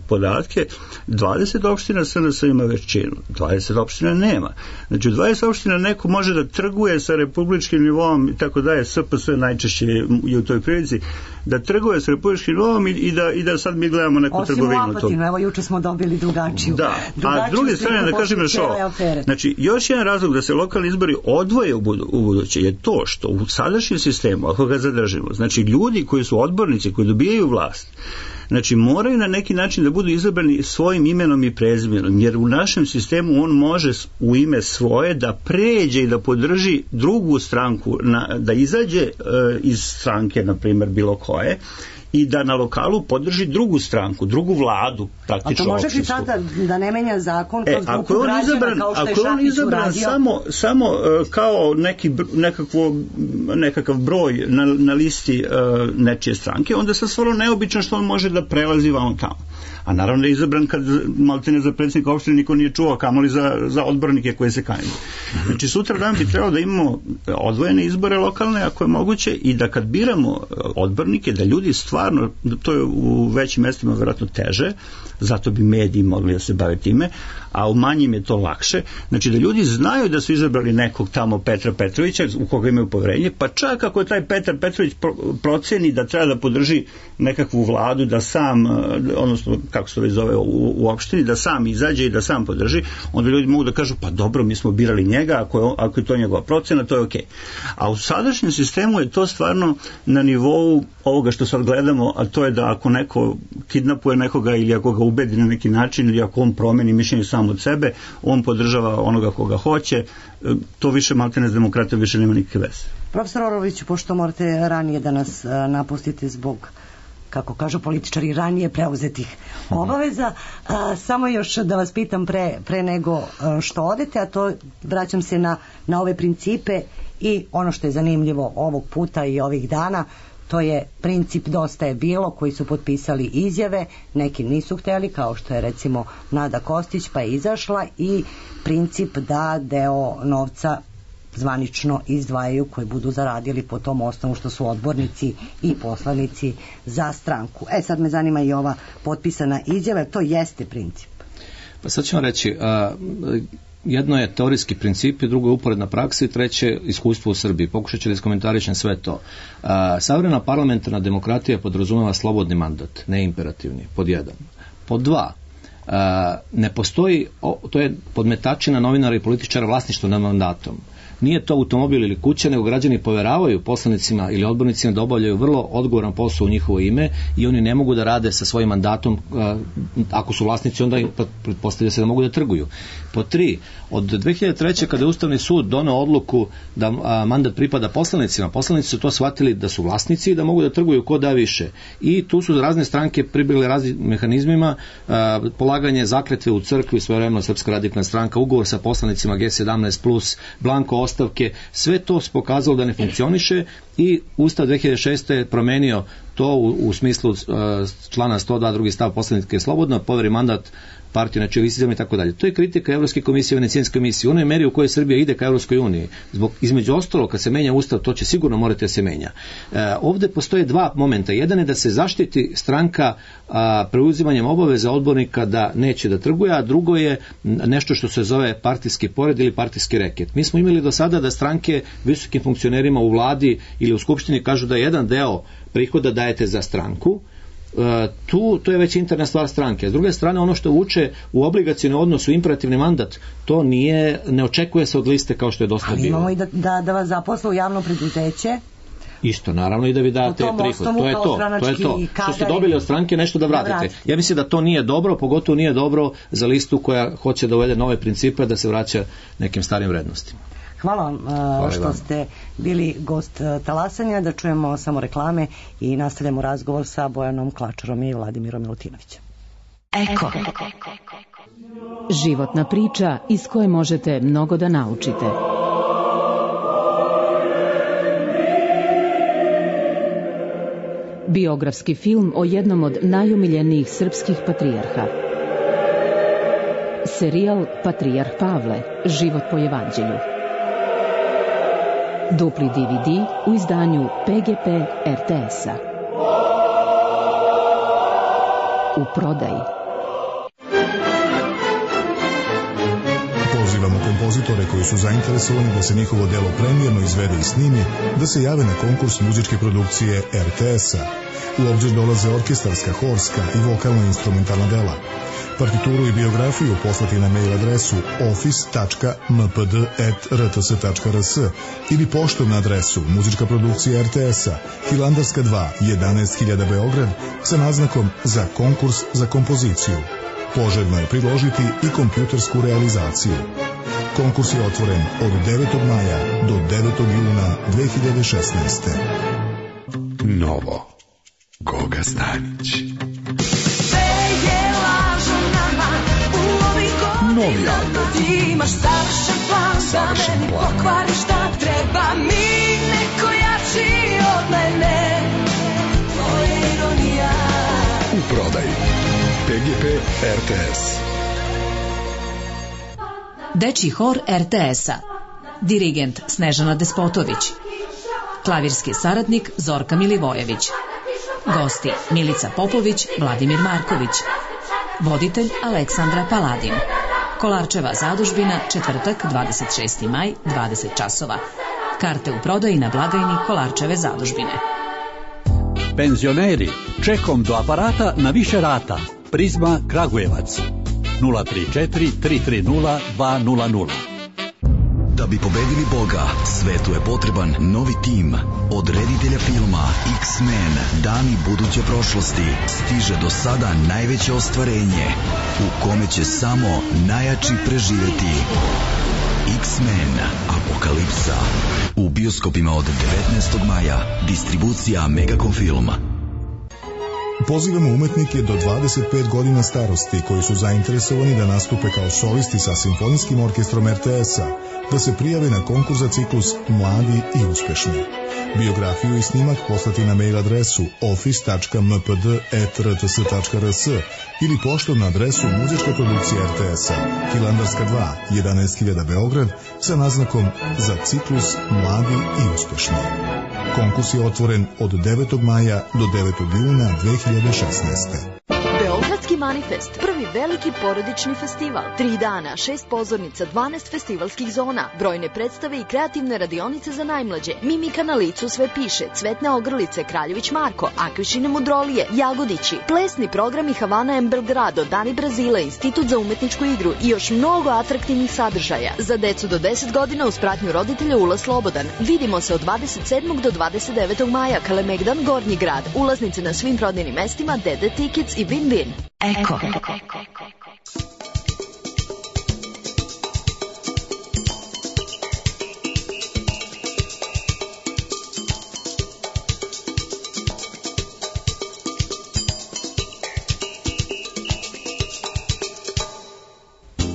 podatke, dvadeset opština S N S ima većinu, dvadeset opština nema. Znači, u dvadeset opština neko može da trguje sa republičkim nivom i tako daje, S P S najčešće je u toj prilici, da trguje sa republičkim nivom i, i, da, i da sad mi gledamo neku Osim u trgovinu. to. Apatinu, evo juče smo dobili drugačiju. Da, a drugačiju s druge sliku strane da kažem posle još cijele ovo. afere. Znači, još jedan razlog da se lokalni izbori odvoje u, budu, u buduće je to što u sadašnjem sistemu, ako ga zadržimo, znači ljudi koji su odbornici, koji dobijaju vlast, znači moraju na neki način da budu izabrani svojim imenom i prezimenom, jer u našem sistemu on može u ime svoje da pređe i da podrži drugu stranku, na, da izađe e, iz stranke, na primjer, bilo koje, i da na lokalu podrži drugu stranku, drugu vladu, A praktično to može li opštinsku. sada da ne menja zakon E, kroz ako grupu je on građana izabran, kao što je ako je on Šapić izabran uradio? samo, samo uh, kao neki, br- nekakvo, nekakav broj na, na listi uh, nečije stranke, onda se stvarno neobično što on može da prelazi vamo tamo. A naravno da je izabran kad maltene za predsjednika opštine niko nije čuo, kamoli za, za odbornike koje se kandiduju. Znači sutra dan bi trebalo da imamo odvojene izbore lokalne ako je moguće i da kad biramo odbornike da ljudi stvarno, to je u većim mestima vjerojatno teže, zato bi mediji mogli da se bave time, a u manjim je to lakše. Znači da ljudi znaju da su izabrali nekog tamo Petra Petrovića u koga imaju poverenje, pa čak ako je taj Petar Petrović proceni da treba da podrži nekakvu vladu, da sam, odnosno kako se to već zove u, u opštini, da sam izađe i da sam podrži, onda ljudi mogu da kažu pa dobro, mi smo birali njega, ako je, ako je to njegova procena, to je okej. A u sadašnjem sistemu je to stvarno na nivou ovoga što sad gledamo, a to je da ako neko kidnapuje nekoga ili ako ga ubedi na neki način ili ako on promeni mišljenje sam od sebe, on podržava onoga koga hoće, to više maltene s demokratijom više nema nikakve veze. Profesor Oroviću, pošto morate ranije da nas a, napustite zbog, kako kažu političari, ranije preuzetih obaveza, a, samo još da vas pitam pre, pre nego a, što odete, a to vraćam se na, na ove principe i ono što je zanimljivo ovog puta i ovih dana, to je princip Dosta je bilo, koji su potpisali izjave, neki nisu hteli, kao što je recimo Nada Kostić, pa je izašla, i princip da deo novca zvanično izdvajaju koji budu zaradili po tom osnovu što su odbornici i poslanici za stranku. E sad me zanima i ova potpisana izjava, to jeste princip. Pa sad ću vam reći, a, jedno je teorijski princip, drugo je uporedna praksa i treće iskustvo u Srbiji. Pokušat ću da iskomentarišem sve to. A, savremena parlamentarna demokratija podrazumeva slobodni mandat, ne imperativni, pod jedan. Pod dva, a, ne postoji, o, to je podmetačina novinara i političara vlasništvo nad mandatom. Nije to automobil ili kuća, nego građani poveravaju poslanicima ili odbornicima da obavljaju vrlo odgovoran posao u njihovo ime i oni ne mogu da rade sa svojim mandatom, ako su vlasnici, onda pretpostavlja se da mogu da trguju. Po tri, od dve hiljade treće kada je Ustavni sud doneo odluku da a, mandat pripada poslanicima, poslanici su to shvatili da su vlasnici i da mogu da trguju ko da više. I tu su razne stranke pribjegle raznim mehanizmima, a, polaganje zakletve u crkvi, svojevremeno Srpska radikalna stranka, ugovor sa poslanicima G sedamnaest plus, blanko ostavke, sve to se pokazalo da ne funkcioniše i Ustav dve hiljade šeste je promenio to u, u smislu uh, člana sto dva drugi stav poslanike slobodno, poveri mandat partiju na čiju listama i tako dalje. To je kritika Evropske komisije i Venecijanske komisije. U onoj meri u kojoj Srbija ide ka Evropskoj uniji. Zbog, između ostalo, kad se menja Ustav, to će sigurno morati da se menja. E, ovde postoje dva momenta. Jedan je da se zaštiti stranka a, preuzimanjem obaveza odbornika da neće da trguje, a drugo je nešto što se zove partijski pored ili partijski reket. Mi smo imali do sada da stranke visokim funkcionerima u vladi ili u skupštini kažu da jedan deo prihoda dajete za stranku. Tu, to je već interna stvar stranke. S druge strane, ono što uče u obligacijni odnos, u imperativni mandat, to nije, ne očekuje se od liste kao što je dosta bilo. Ali imamo i da, da, da vas zaposle u javno preduzeće. Isto, naravno, i da vi date prihod. To je to, to je to. Što ste dobili od stranke, nešto da vratite. Da vratite. Ja mislim da to nije dobro, pogotovo nije dobro za listu koja hoće da uvede nove principe, da se vraća nekim starim vrednostima. Hvala vam uh, što ste bili gost uh, Talasanja, da čujemo samo reklame i nastavljamo razgovor sa Bojanom Klačarom i Vladimirom Milutinovićem. Eko. Životna priča iz koje možete mnogo da naučite. Biografski film o jednom od najomiljenijih srpskih patrijarha. Serijal Patrijarh Pavle, život po evanđelju. Dupli D V D u izdanju P G P R T S-a. U prodaji. Pozivamo kompozitore koji su zainteresovani da se njihovo delo premijerno izvede i snimi, da se jave na konkurs muzičke produkcije R T S-a. U obzir dolaze orkestarska, horska i vokalno-instrumentalna dela. Partituru i biografiju poslati na mail adresu office tačka m p d at r t s tačka r s ili poštom na adresu muzička produkcija R T S-a, Hilandarska dva, jedanaest hiljada Beograd, sa naznakom za konkurs za kompoziciju. Poželjno je priložiti i kompjutersku realizaciju. Konkurs je otvoren od devetog maja do devetog juna dve hiljade šesnaeste. Novo. Goga Stanić. Novi album. Imaš savršen plan, savršen da plan. meni pokvariš šta treba mi, neko jači od mene. Tvoja ironija. U prodaji P G P R T S. Dečji hor R T S-a. Dirigent Snežana Despotović. Klavirski saradnik Zorka Milivojević. Gosti Milica Popović, Vladimir Marković. Voditelj Aleksandra Paladin. Kolarčeva zadužbina, četvrtak, dvadeset šesti maj, dvadeset časova. Karte u prodaji na blagajni Kolarčeve zadužbine. Penzioneri, čekom do aparata na više rata. Prizma Kragujevac. nula tri četiri tri tri nula dva nula nula. Da bi pobedili Boga, svetu je potreban novi tim. Od reditelja filma X-Men, dani buduće prošlosti, stiže do sada najveće ostvarenje, u kome će samo najjači preživeti. X-Men, Apokalipsa. U bioskopima od devetnaestog maja, distribucija Megacom Film. Pozivamo umetnike do dvadeset pet godina starosti koji su zainteresovani da nastupe kao solisti sa Simfonijskim orkestrom R T S-a, da se prijave na konkurs za ciklus Mladi i uspešni. Biografiju i snimak poslati na mail adresu office tačka m p d at r t s tačka r s ili poštom na adresu muzička produkcija R T S-a, Hilandarska dva, jedanaest hiljada Beograd, sa naznakom za ciklus Mladi i uspešni. Konkurs je otvoren od devetog maja do devetog juna dve hiljade šesnaeste. Beogradski manifest, prvi veliki porodični festival. Tri dana, šest pozornica, dvanaest festivalskih zona, brojne predstave i kreativne radionice za najmlađe. Mimika na licu sve piše, Cvetne ogrlice, Kraljević Marko, Akvišine mudrolije, Jagodići, plesni programi Havana em Belgrado, Dani Brazila, Institut za umetničku igru i još mnogo atraktivnih sadržaja. Za decu do deset godina uz pratnju roditelja ulaz slobodan. Vidimo se od dvadeset sedmog do dvadeset devetog maja, Kalemegdan, Gornji grad. Ulaznice na svim prodajnim mestima, Dede Tickets i Win Win. Eko.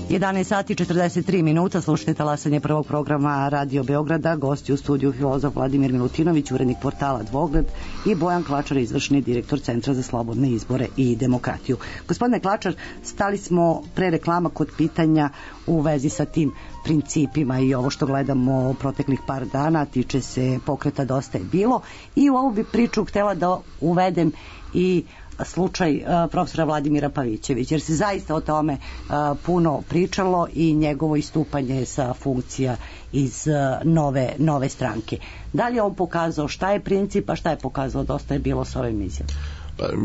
jedanaest sati četrdeset tri minuta, slušajte talasanje prvog programa Radio Beograda, gosti u studiju filozof Vladimir Milutinović, urednik portala Dvogled i Bojan Klačar, izvršni direktor Centra za slobodne izbore i demokratiju. Gospodine Klačar, stali smo pre reklama kod pitanja u vezi sa tim principima i ovo što gledamo proteklih par dana tiče se pokreta Dosta je bilo i u ovu bi priču htjela da uvedem i slučaj uh, profesora Vladimira Pavićevića, jer se zaista o tome uh, puno pričalo i njegovo istupanje sa funkcija iz uh, nove, nove stranke. Da li je on pokazao šta je princip, a šta je pokazao Dosta je bilo s ovim izjavom?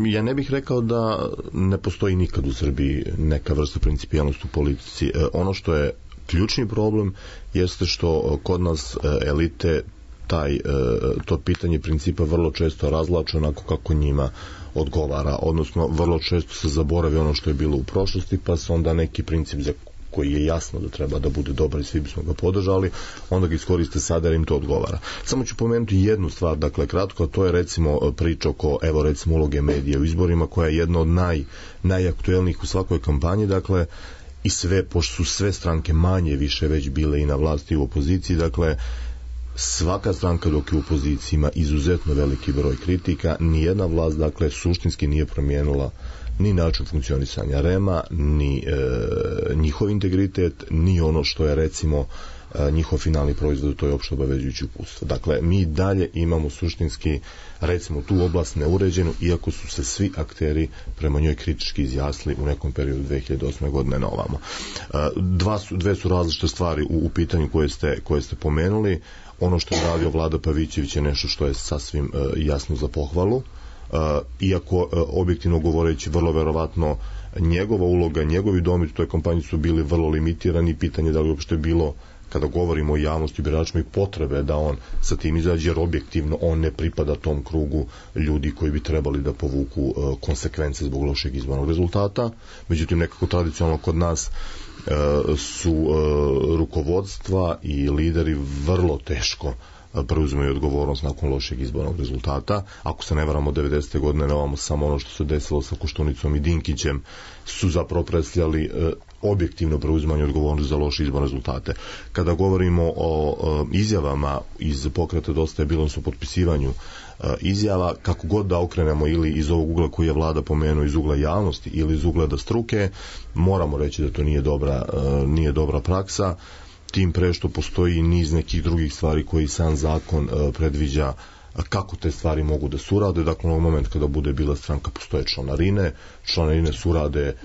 Ja ne bih rekao da ne postoji nikad u Srbiji neka vrsta principijalnosti u politici. Ono što je ključni problem jeste što kod nas elite taj, to pitanje principa vrlo često razlače onako kako njima odgovara, odnosno vrlo često se zaboravi ono što je bilo u prošlosti, pa se onda neki princip za koji je jasno da treba da bude dobar i svi bismo ga podržali, onda ga iskoriste sada jer im to odgovara. Samo ću pomenuti jednu stvar, dakle kratko, a to je recimo priča oko, evo recimo uloge medija u izborima, koja je jedna od naj, najaktuelnijih u svakoj kampanji, dakle i sve, pošto su sve stranke manje više već bile i na vlasti i u opoziciji, dakle svaka stranka dok je u opoziciji ima izuzetno veliki broj kritika, nijedna vlast dakle suštinski nije promijenila ni način funkcionisanja REM-a, ni e, njihov integritet, ni ono što je recimo e, njihov finalni proizvod, to je opšte obavezujuće uputstvo. Dakle, mi dalje imamo suštinski recimo tu oblast neuređenu, iako su se svi akteri prema njoj kritički izjasnili u nekom periodu dve hiljade osme godine na ovamo. E, dva su, dve su različite stvari u, u pitanju koje ste, koje ste pomenuli. Ono što je radio Vlada Pavićević je nešto što je sasvim e, jasno za pohvalu. Uh, iako uh, objektivno govoreći vrlo verovatno njegova uloga, njegovi dometi u toj kampanji su bili vrlo limitirani, pitanje da li uopšte bilo kada govorimo o javnosti biračima i potrebe da on sa tim izađe, jer objektivno on ne pripada tom krugu ljudi koji bi trebali da povuku uh, konsekvence zbog lošeg izbornog rezultata. Međutim, nekako tradicionalno kod nas uh, su uh, rukovodstva i lideri vrlo teško preuzimaju odgovornost nakon lošeg izbornog rezultata. Ako se ne varamo, devedesete godine nemamo samo ono što se desilo sa Koštunicom i Dinkićem su zapravo predstavljali e, objektivno preuzimanje odgovornosti za loše izborne rezultate. Kada govorimo o e, izjavama iz pokreta Dosta je bilo, su potpisivanju e, izjava, kako god da okrenemo ili iz ovog ugla koji je Vlada pomenuo, iz ugla javnosti ili iz ugleda struke, moramo reći da to nije dobra, e, nije dobra praksa, tim pre što postoji niz nekih drugih stvari koji sam zakon uh, predviđa kako te stvari mogu da surade. Dakle, u moment kada bude bila stranka postoje članarine, članarine surade,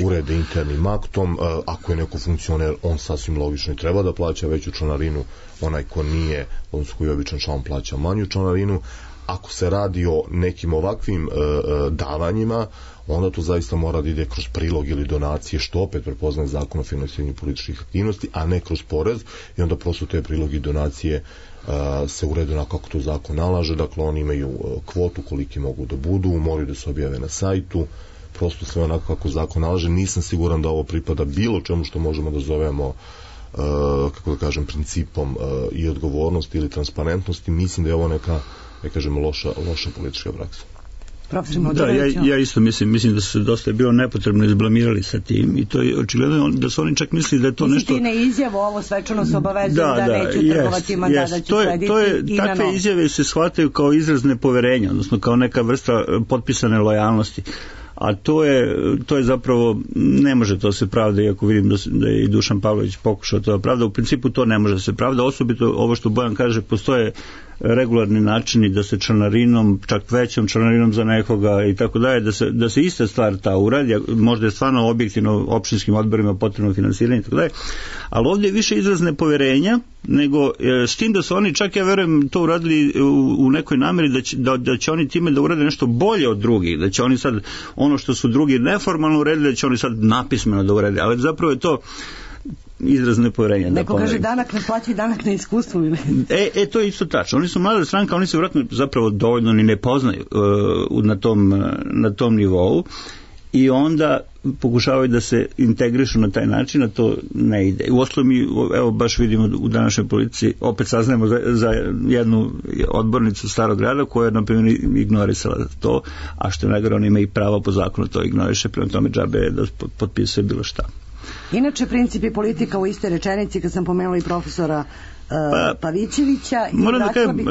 urede internim aktom, uh, ako je neko funkcioner, on sasvim logično i treba da plaća veću članarinu, onaj ko nije, odnosno koji je običan član, plaća manju članarinu. Ako se radi o nekim ovakvim uh, davanjima, onda to zaista mora da ide kroz prilog ili donacije, što opet prepoznaje zakon o finansiranju političkih aktivnosti, a ne kroz porez, i onda prosto te prilogi i donacije uh, se urede onako kako to zakon nalaže. Dakle, oni imaju uh, kvotu koliki mogu da budu, moraju da se objave na sajtu, prosto sve onako kako zakon nalaže. Nisam siguran da ovo pripada bilo čemu što možemo da zovemo uh, kako da kažem, principom uh, i odgovornosti ili transparentnosti. Mislim da je ovo neka, ne kažem, loša, loša politička praksa. Da, ja, ja isto mislim, mislim da su se dosta bilo nepotrebno izblamirali sa tim i to je očigledno da su oni čak mislili da je to nešto... Mislim ti ne izjavu, ovo svečano se obavezuju da, da, da neću yes, trgovati mandat, da ću to je, slediti to je, i na takve novo. Izjave se shvataju kao izraz nepoverenja, odnosno kao neka vrsta potpisane lojalnosti. A to je, to je zapravo, ne može to se pravda, iako vidim da, da je i Dušan Pavlović pokušao to da pravda, u principu to ne može se pravda, osobito ovo što Bojan kaže, postoje regularni načini da se članarinom, čak većom članarinom za nekoga i tako dalje, da se, da se ista stvar ta uradi, možda je stvarno objektivno opštinskim odborima potrebno finansiranje i tako dalje, ali ovdje je više izraz nepoverenja, nego s tim da su oni, čak ja verujem, to uradili u, u nekoj nameri da će, da, da će oni time da urade nešto bolje od drugih, da će oni sad ono što su drugi neformalno uredili, da će oni sad napismeno da urede, ali zapravo je to izraz nepoverenja. Neko kaže danak ne plaći, danak ne iskustvu. E, e, to je isto tačno. Oni su mlada stranka, oni se vjerojatno zapravo dovoljno ni ne poznaju uh, na, tom, na tom nivou i onda pokušavaju da se integrišu na taj način, a to ne ide. U osnovu mi, evo, baš vidimo u današnjoj politici, opet saznajemo za, za jednu odbornicu Starog grada koja je, na primjer, ignorisala to, a što je najgore, ona ima i pravo po zakonu to ignoriše, prema tome džabe da potpisuje bilo šta. Inače, princip i politika u istoj rečenici, kad sam pomenula i profesora Pa, Pavićevića. Moram da kažem, bih...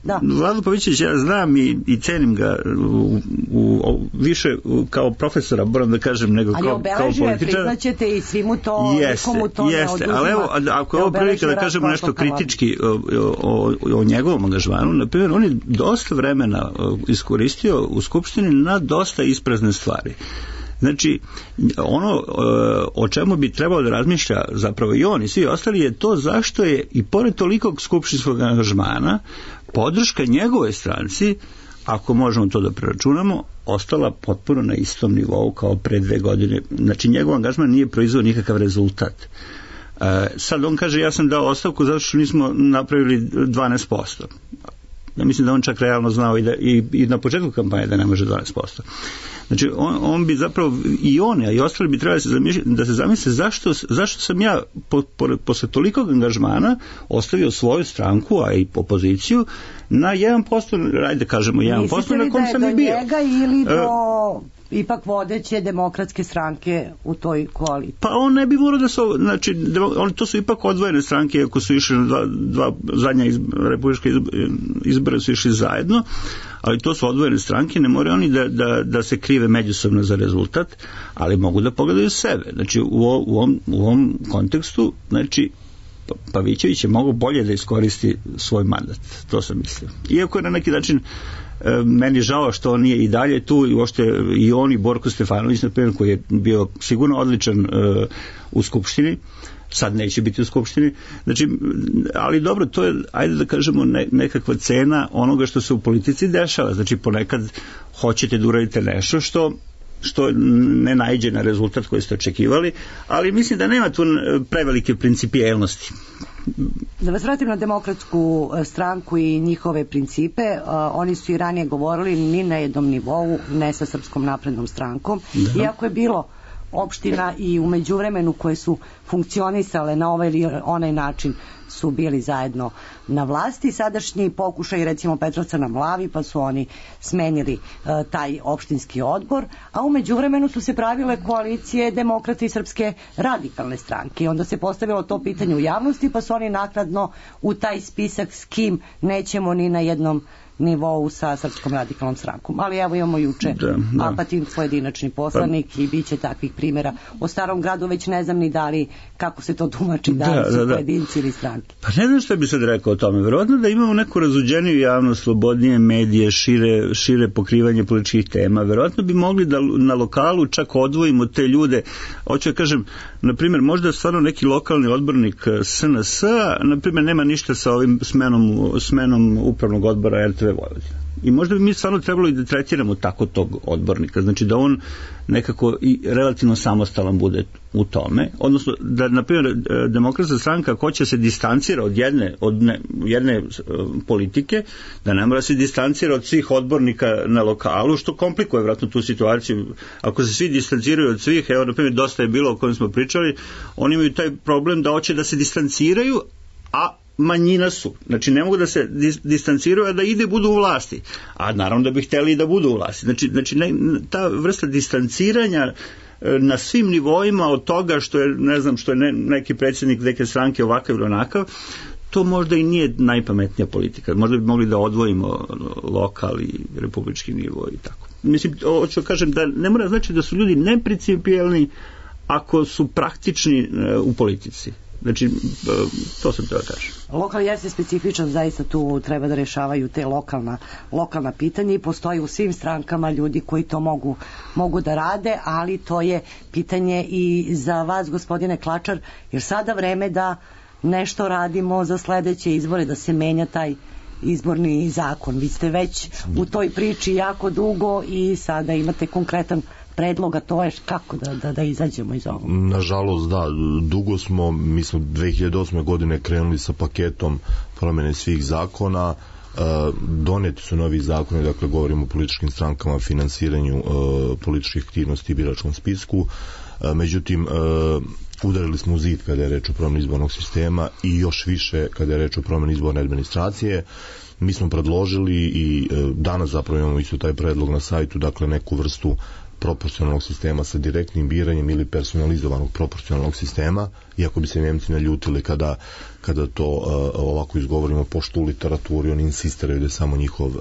da. Vlado Pavićević ja znam i, i cenim ga u, u, u, više kao profesora, moram da kažem, nego ali kao, kao političar. Ali priznaćete i svi mu to, jeste, nikomu to jeste, ne oduzima. Ali evo, ako je ovo prilika da kažemo nešto kritički o, o, o, o njegovom angažmanu, na primjer, on je dosta vremena iskoristio u Skupštini na dosta isprazne stvari. Znači, ono o čemu bi trebalo da razmišlja zapravo i on i svi ostali je to zašto je i pored tolikog skupštinskog angažmana podrška njegove stranci, ako možemo to da preračunamo, ostala potpuno na istom nivou kao pre dve godine. Znači, njegov angažman nije proizveo nikakav rezultat. E, sad on kaže, ja sam dao ostavku zato što nismo napravili dvanaest posto. Ja mislim da on čak realno znao i, da, i, i na početku kampanje da ne može dvanaest posto. Znači, on, on bi zapravo, i on, a i ostali bi trebali se da se zamisle zašto, zašto sam ja po, po, posle tolikog angažmana ostavio svoju stranku, a i opoziciju, na jedan posto, ajde kažemo jedan posto, na kom sam i bio. Mislite li da je do njega ili do ipak vodeće demokratske stranke u toj koaliciji? Pa on ne bi morao da su, znači, on, to su ipak odvojene stranke, ako su išli na dva, dva zadnja izbora, republička izbora su išli zajedno, ali to su odvojene stranke, ne moraju oni da, da, da se krive međusobno za rezultat, ali mogu da pogledaju sebe. Znači, u, u, ovom, u ovom kontekstu, znači, Pavićević je mogo bolje da iskoristi svoj mandat. To sam mislio. Iako je na neki način e, meni žao što on nije i dalje tu i uopšte i on i Borko Stefanović, na primjer, koji je bio sigurno odličan e, u Skupštini, sad neće biti u Skupštini. Znači, ali dobro, to je, ajde da kažemo, ne, nekakva cena onoga što se u politici dešava. Znači, ponekad hoćete da uradite nešto što što ne naiđe na rezultat koji ste očekivali, ali mislim da nema tu prevelike principijelnosti. Da vas vratim na demokratsku stranku i njihove principe, uh, oni su i ranije govorili ni na jednom nivou, ne sa Srpskom naprednom strankom, da. Iako je bilo opština i u međuvremenu koje su funkcionisale na ovaj ili onaj način su bili zajedno na vlasti. Sadašnji pokušaj recimo Petrovca na Mlavi, pa su oni smenili uh, taj opštinski odbor, a u međuvremenu su se pravile koalicije Demokrate i Srpske radikalne stranke i onda se postavilo to pitanje u javnosti, pa su oni naknadno u taj spisak s kim nećemo ni na jednom nivou sa Srpskom radikalnom strankom. Ali evo imamo juče da, da. Apatin pojedinačni poslanik pa, i bit će takvih primjera. O Starom Gradu već ne znam ni da li kako se to tumači, da, da li su da, da. pojedinci ili stranke. Pa ne znam što bi sad rekao o tome. Verovatno da imamo neku razluđeniju javnost, slobodnije medije, šire, šire pokrivanje političkih tema. Verovatno bi mogli da na lokalu čak odvojimo te ljude. Hoću da kažem, na primjer, možda stvarno neki lokalni odbornik S N S, na primjer, nema ništa sa ovim smenom, smenom upravnog odbora R T V Vojvodina. I možda bi mi stvarno trebalo i da tretiramo tako tog odbornika, znači da on nekako i relativno samostalan bude u tome, odnosno da, na primjer, Demokratska stranka hoće se distancira od jedne, od ne, jedne politike, da ne mora se distancira od svih odbornika na lokalu, što komplikuje vratno tu situaciju. Ako se svi distanciraju od svih, evo, na primjer, dosta je bilo o kojem smo pričali, oni imaju taj problem da hoće da se distanciraju, a manjina su. Znači, ne mogu da se distanciraju, a da ide budu u vlasti. A naravno da bi htjeli da budu u vlasti. Znači, znači ne, ta vrsta distanciranja na svim nivoima od toga što je, ne znam, što je ne, neki predsjednik neke stranke ovakav ili onakav, to možda i nije najpametnija politika. Možda bi mogli da odvojimo lokal i republički nivo i tako. Mislim, hoću da kažem da ne mora znači da su ljudi neprincipijelni ako su praktični u politici. Znači, to sam treba kažem. Lokal jeste specifičan, zaista tu treba da rešavaju te lokalna, lokalna pitanja i postoji u svim strankama ljudi koji to mogu, mogu da rade, ali to je pitanje i za vas, gospodine Klačar, jer sada vreme da nešto radimo za sledeće izbore, da se menja taj izborni zakon. Vi ste već u toj priči jako dugo i sada imate konkretan predloga, to je kako da, da, da izađemo iz ovoga? Nažalost, da, dugo smo, mi smo dve hiljade osme godine krenuli sa paketom promjene svih zakona, uh, doneti su novi zakoni, dakle govorimo o političkim strankama, finansiranju uh, političkih aktivnosti i biračkom spisku, uh, međutim uh, udarili smo u zid kada je reč o promjeni izbornog sistema i još više kada je reč o promjeni izborne administracije. Mi smo predložili i uh, danas zapravo imamo isto taj predlog na sajtu, dakle neku vrstu proporcionalnog sistema sa direktnim biranjem ili personalizovanog proporcionalnog sistema, iako bi se Njemci naljutili kada, kada to uh, ovako izgovorimo, pošto u literaturi oni insistiraju da je samo njihov uh,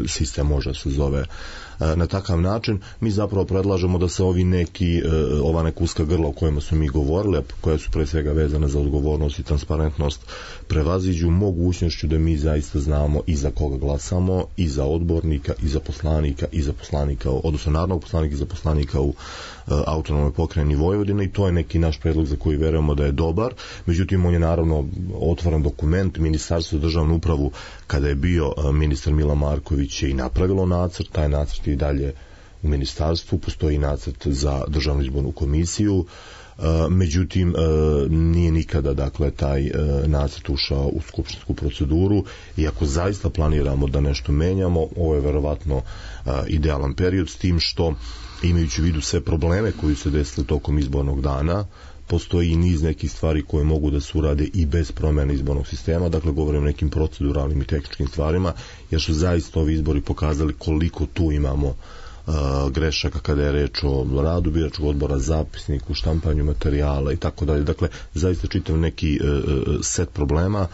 sistem može se zove uh, na takav način. Mi zapravo predlažemo da se ovi neki, uh, ova neka uska grla o kojima smo mi govorili, koja su pre svega vezana za odgovornost i transparentnost, prevaziđu mogućnošću da mi zaista znamo i za koga glasamo, i za odbornika, i za poslanika, i za poslanika, odnosno narodnog poslanika i za poslanika u uh, autonomnoj pokrajini Vojvodine, i to je neki naš predlog za koji verujemo da je dobar. Međutim, on je naravno otvoren dokument. Ministarstvo za državnu upravu, kada je bio uh, ministar Mila Marković, je i napravilo nacrt, taj nacrt je i dalje u ministarstvu, postoji nacrt za državnu izbornu komisiju. Uh, međutim, uh, nije nikada, dakle, taj uh, nacrt ušao u skupštinsku proceduru, i ako zaista planiramo da nešto menjamo, ovo je verovatno uh, idealan period, s tim što, imajući u vidu sve probleme koji se desili tokom izbornog dana, postoji i niz nekih stvari koje mogu da se urade i bez promjene izbornog sistema, dakle govorim o nekim proceduralnim i tehničkim stvarima, jer su zaista ovi izbori pokazali koliko tu imamo uh, grešaka kada je reč o radu biračkog odbora, zapisniku, štampanju materijala i tako dalje. Dakle, zaista čitav neki uh, set problema.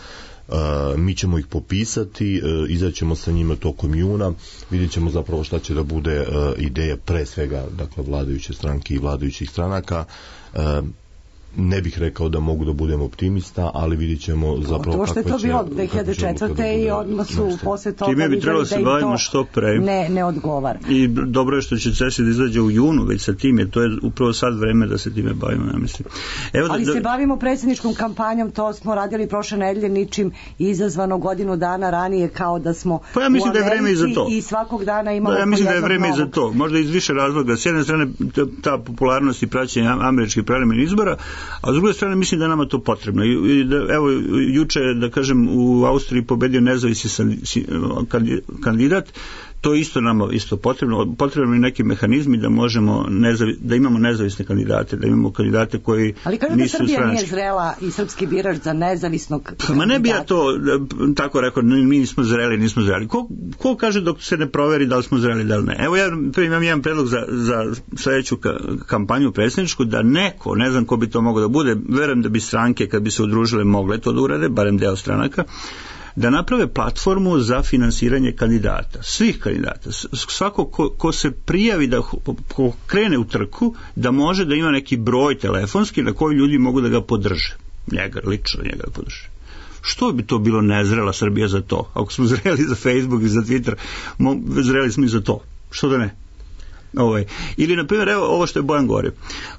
Uh, mi ćemo ih popisati, uh, izaćemo sa njima tokom juna, vidjet ćemo zapravo šta će da bude uh, ideja pre svega, dakle, vladajuće stranke i vladajućih stranaka. Uh, ne bih rekao da mogu da budem optimista, ali vidjet ćemo zapravo to što je to bilo dve hiljade četvrte i odmah su posle toga time bi trebalo se bavimo što pre. Ne, ne odgovara. I dobro je što će C E S I da izađe u junu već sa tim, jer to je upravo sad vreme da se time bavimo, ja mislim. Evo ali da, se bavimo predsjedničkom kampanjom, to smo radili prošle nedelje, ničim izazvano godinu dana ranije, kao da smo pa ja mislim da je vreme i za to. I svakog dana imamo da, ja mislim da je vreme novog. i za to. Možda iz više razloga. S jedne strane ta popularnost i praćenje američkih parlamentarnih izbora, a s druge strane mislim da nama to potrebno. I da, evo, juče, da kažem, u Austriji pobedio nezavisni kandidat, to je isto nama isto potrebno. Potrebno i neki mehanizmi da možemo nezavi, da imamo nezavisne kandidate, da imamo kandidate koji ali kažu da Srbija stranački. Nije zrela i srpski birač za nezavisnog kandidata. Ma ne bi ja to tako rekao, mi nismo zreli, nismo zreli. Ko, ko kaže dok se ne proveri da li smo zreli, da li ne? Evo ja imam jedan predlog za, za sledeću kampanju predsjedničku, da neko, ne znam ko bi to mogao da bude, verujem da bi stranke kad bi se udružile mogle to da urade, barem deo stranaka, da naprave platformu za finansiranje kandidata, svih kandidata. Svako ko, ko se prijavi da ko krene u trku, da može da ima neki broj telefonski na koji ljudi mogu da ga podrže. Njega, lično njega da podrže. Što bi to bilo nezrela Srbija za to? Ako smo zreli za Facebook i za Twitter, zreli smo i za to. Što da ne? Ovaj. Ili, na primjer, evo ovo što je Bojan govorio.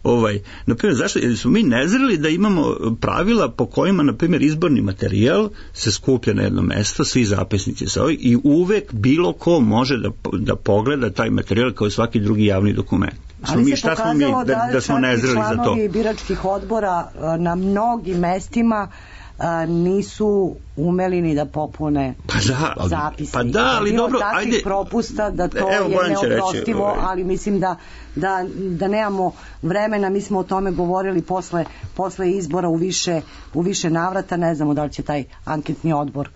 Ovaj. Na primjer, zašto? Jer smo mi nezreli da imamo pravila po kojima, na primjer, izborni materijal se skuplja na jedno mesto, svi zapisnici sa ovih, i uvek bilo ko može da, da pogleda taj materijal kao svaki drugi javni dokument. Ali mi, se šta pokazalo smo mi, da, da, da smo nezreli za to. Članovi biračkih odbora na mnogim mestima a, nisu umeli ni da popune pa da, zapisnik. Pa da, ali bilo dobro, takvih ajde. propusta da to Evo, je neoprostivo, reći, ali mislim da, da, da nemamo vremena, mi smo o tome govorili posle, posle izbora u više, u više navrata, ne znamo da li će taj anketni odbor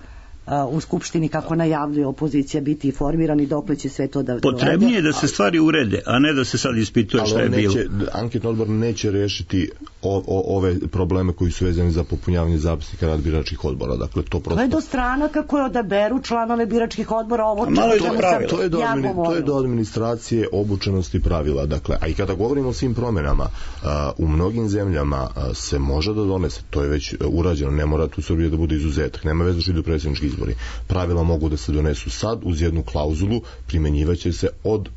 u Skupštini, kako najavljuje opozicija, biti formirani, dokle će sve to da... Potrebnije je da se stvari urede, a ne da se sad ispituje šta je bilo. Anketni odbor neće rešiti o, o, ove probleme koji su vezani za popunjavanje zapisnika rad biračkih odbora. Dakle, to prosto... To je do stranaka koje odaberu članove biračkih odbora, ovo čemu ćemo sad to je do, admini, to je do administracije, obučenosti pravila. Dakle, a i kada govorimo o svim promjenama, a, u mnogim zemljama a, se može da donese, to je već urađeno, ne mora tu Srbija da bude izuzetak, nema veze što idu predsjednički izbori. Pravila mogu da se donesu sad uz jednu klauzulu, primjenjivaće se od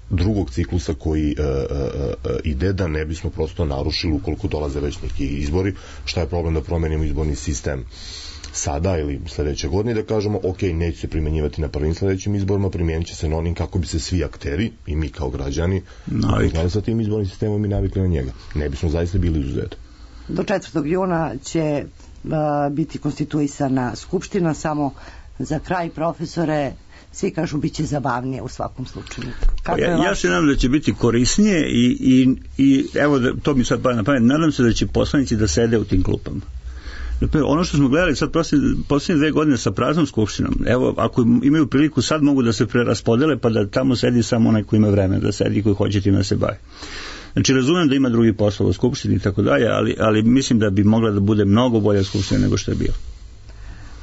drugog ciklusa koji e, e, e, ide, da ne bismo prosto narušili ukoliko dolaze već neki izbori. Šta je problem da promenimo izborni sistem sada ili sledeće godine, da kažemo ok, neće se primjenjivati na prvim sledećim izborima, primjenit će se na onim kako bi se svi akteri i mi kao građani navikli sa tim izbornim sistemom i navikli na njega. Ne bismo zaista bili izuzetni. Do četvrtog juna će uh, biti konstituisana skupština. Samo za kraj, profesore, svi kažu bit će zabavnije u svakom slučaju. Kako ja, ja se nadam da će biti korisnije i, i, i evo da, to mi sad pada na pamet, nadam se da će poslanici da sede u tim klupama. Ono što smo gledali sad posljednje dve godine sa praznom skupštinom, evo, ako imaju priliku sad mogu da se preraspodele pa da tamo sedi samo onaj ko ima vreme da sedi i koji hoće tim da se bavi. Znači, razumem da ima drugi poslova u skupštini i tako dalje, ali, ali mislim da bi mogla da bude mnogo bolja skupština nego što je bilo.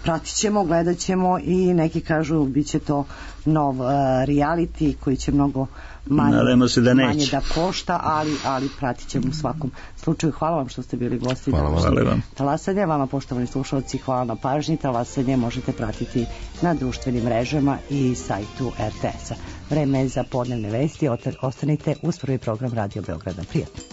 Pratit ćemo, gledat ćemo i neki kažu bit će to nov uh, reality koji će mnogo manje se da, manje da košta, ali, ali pratit ćemo u svakom slučaju. Hvala vam što ste bili gosti. Hvala vam. Hvala vam. Talasanje, vama poštovani slušalci, hvala na pažnji. Talasanje možete pratiti na društvenim mrežama i sajtu er te es a. Vreme je za podnevne vesti. Ostanite uz prvi program Radio Beograda. Prijatno.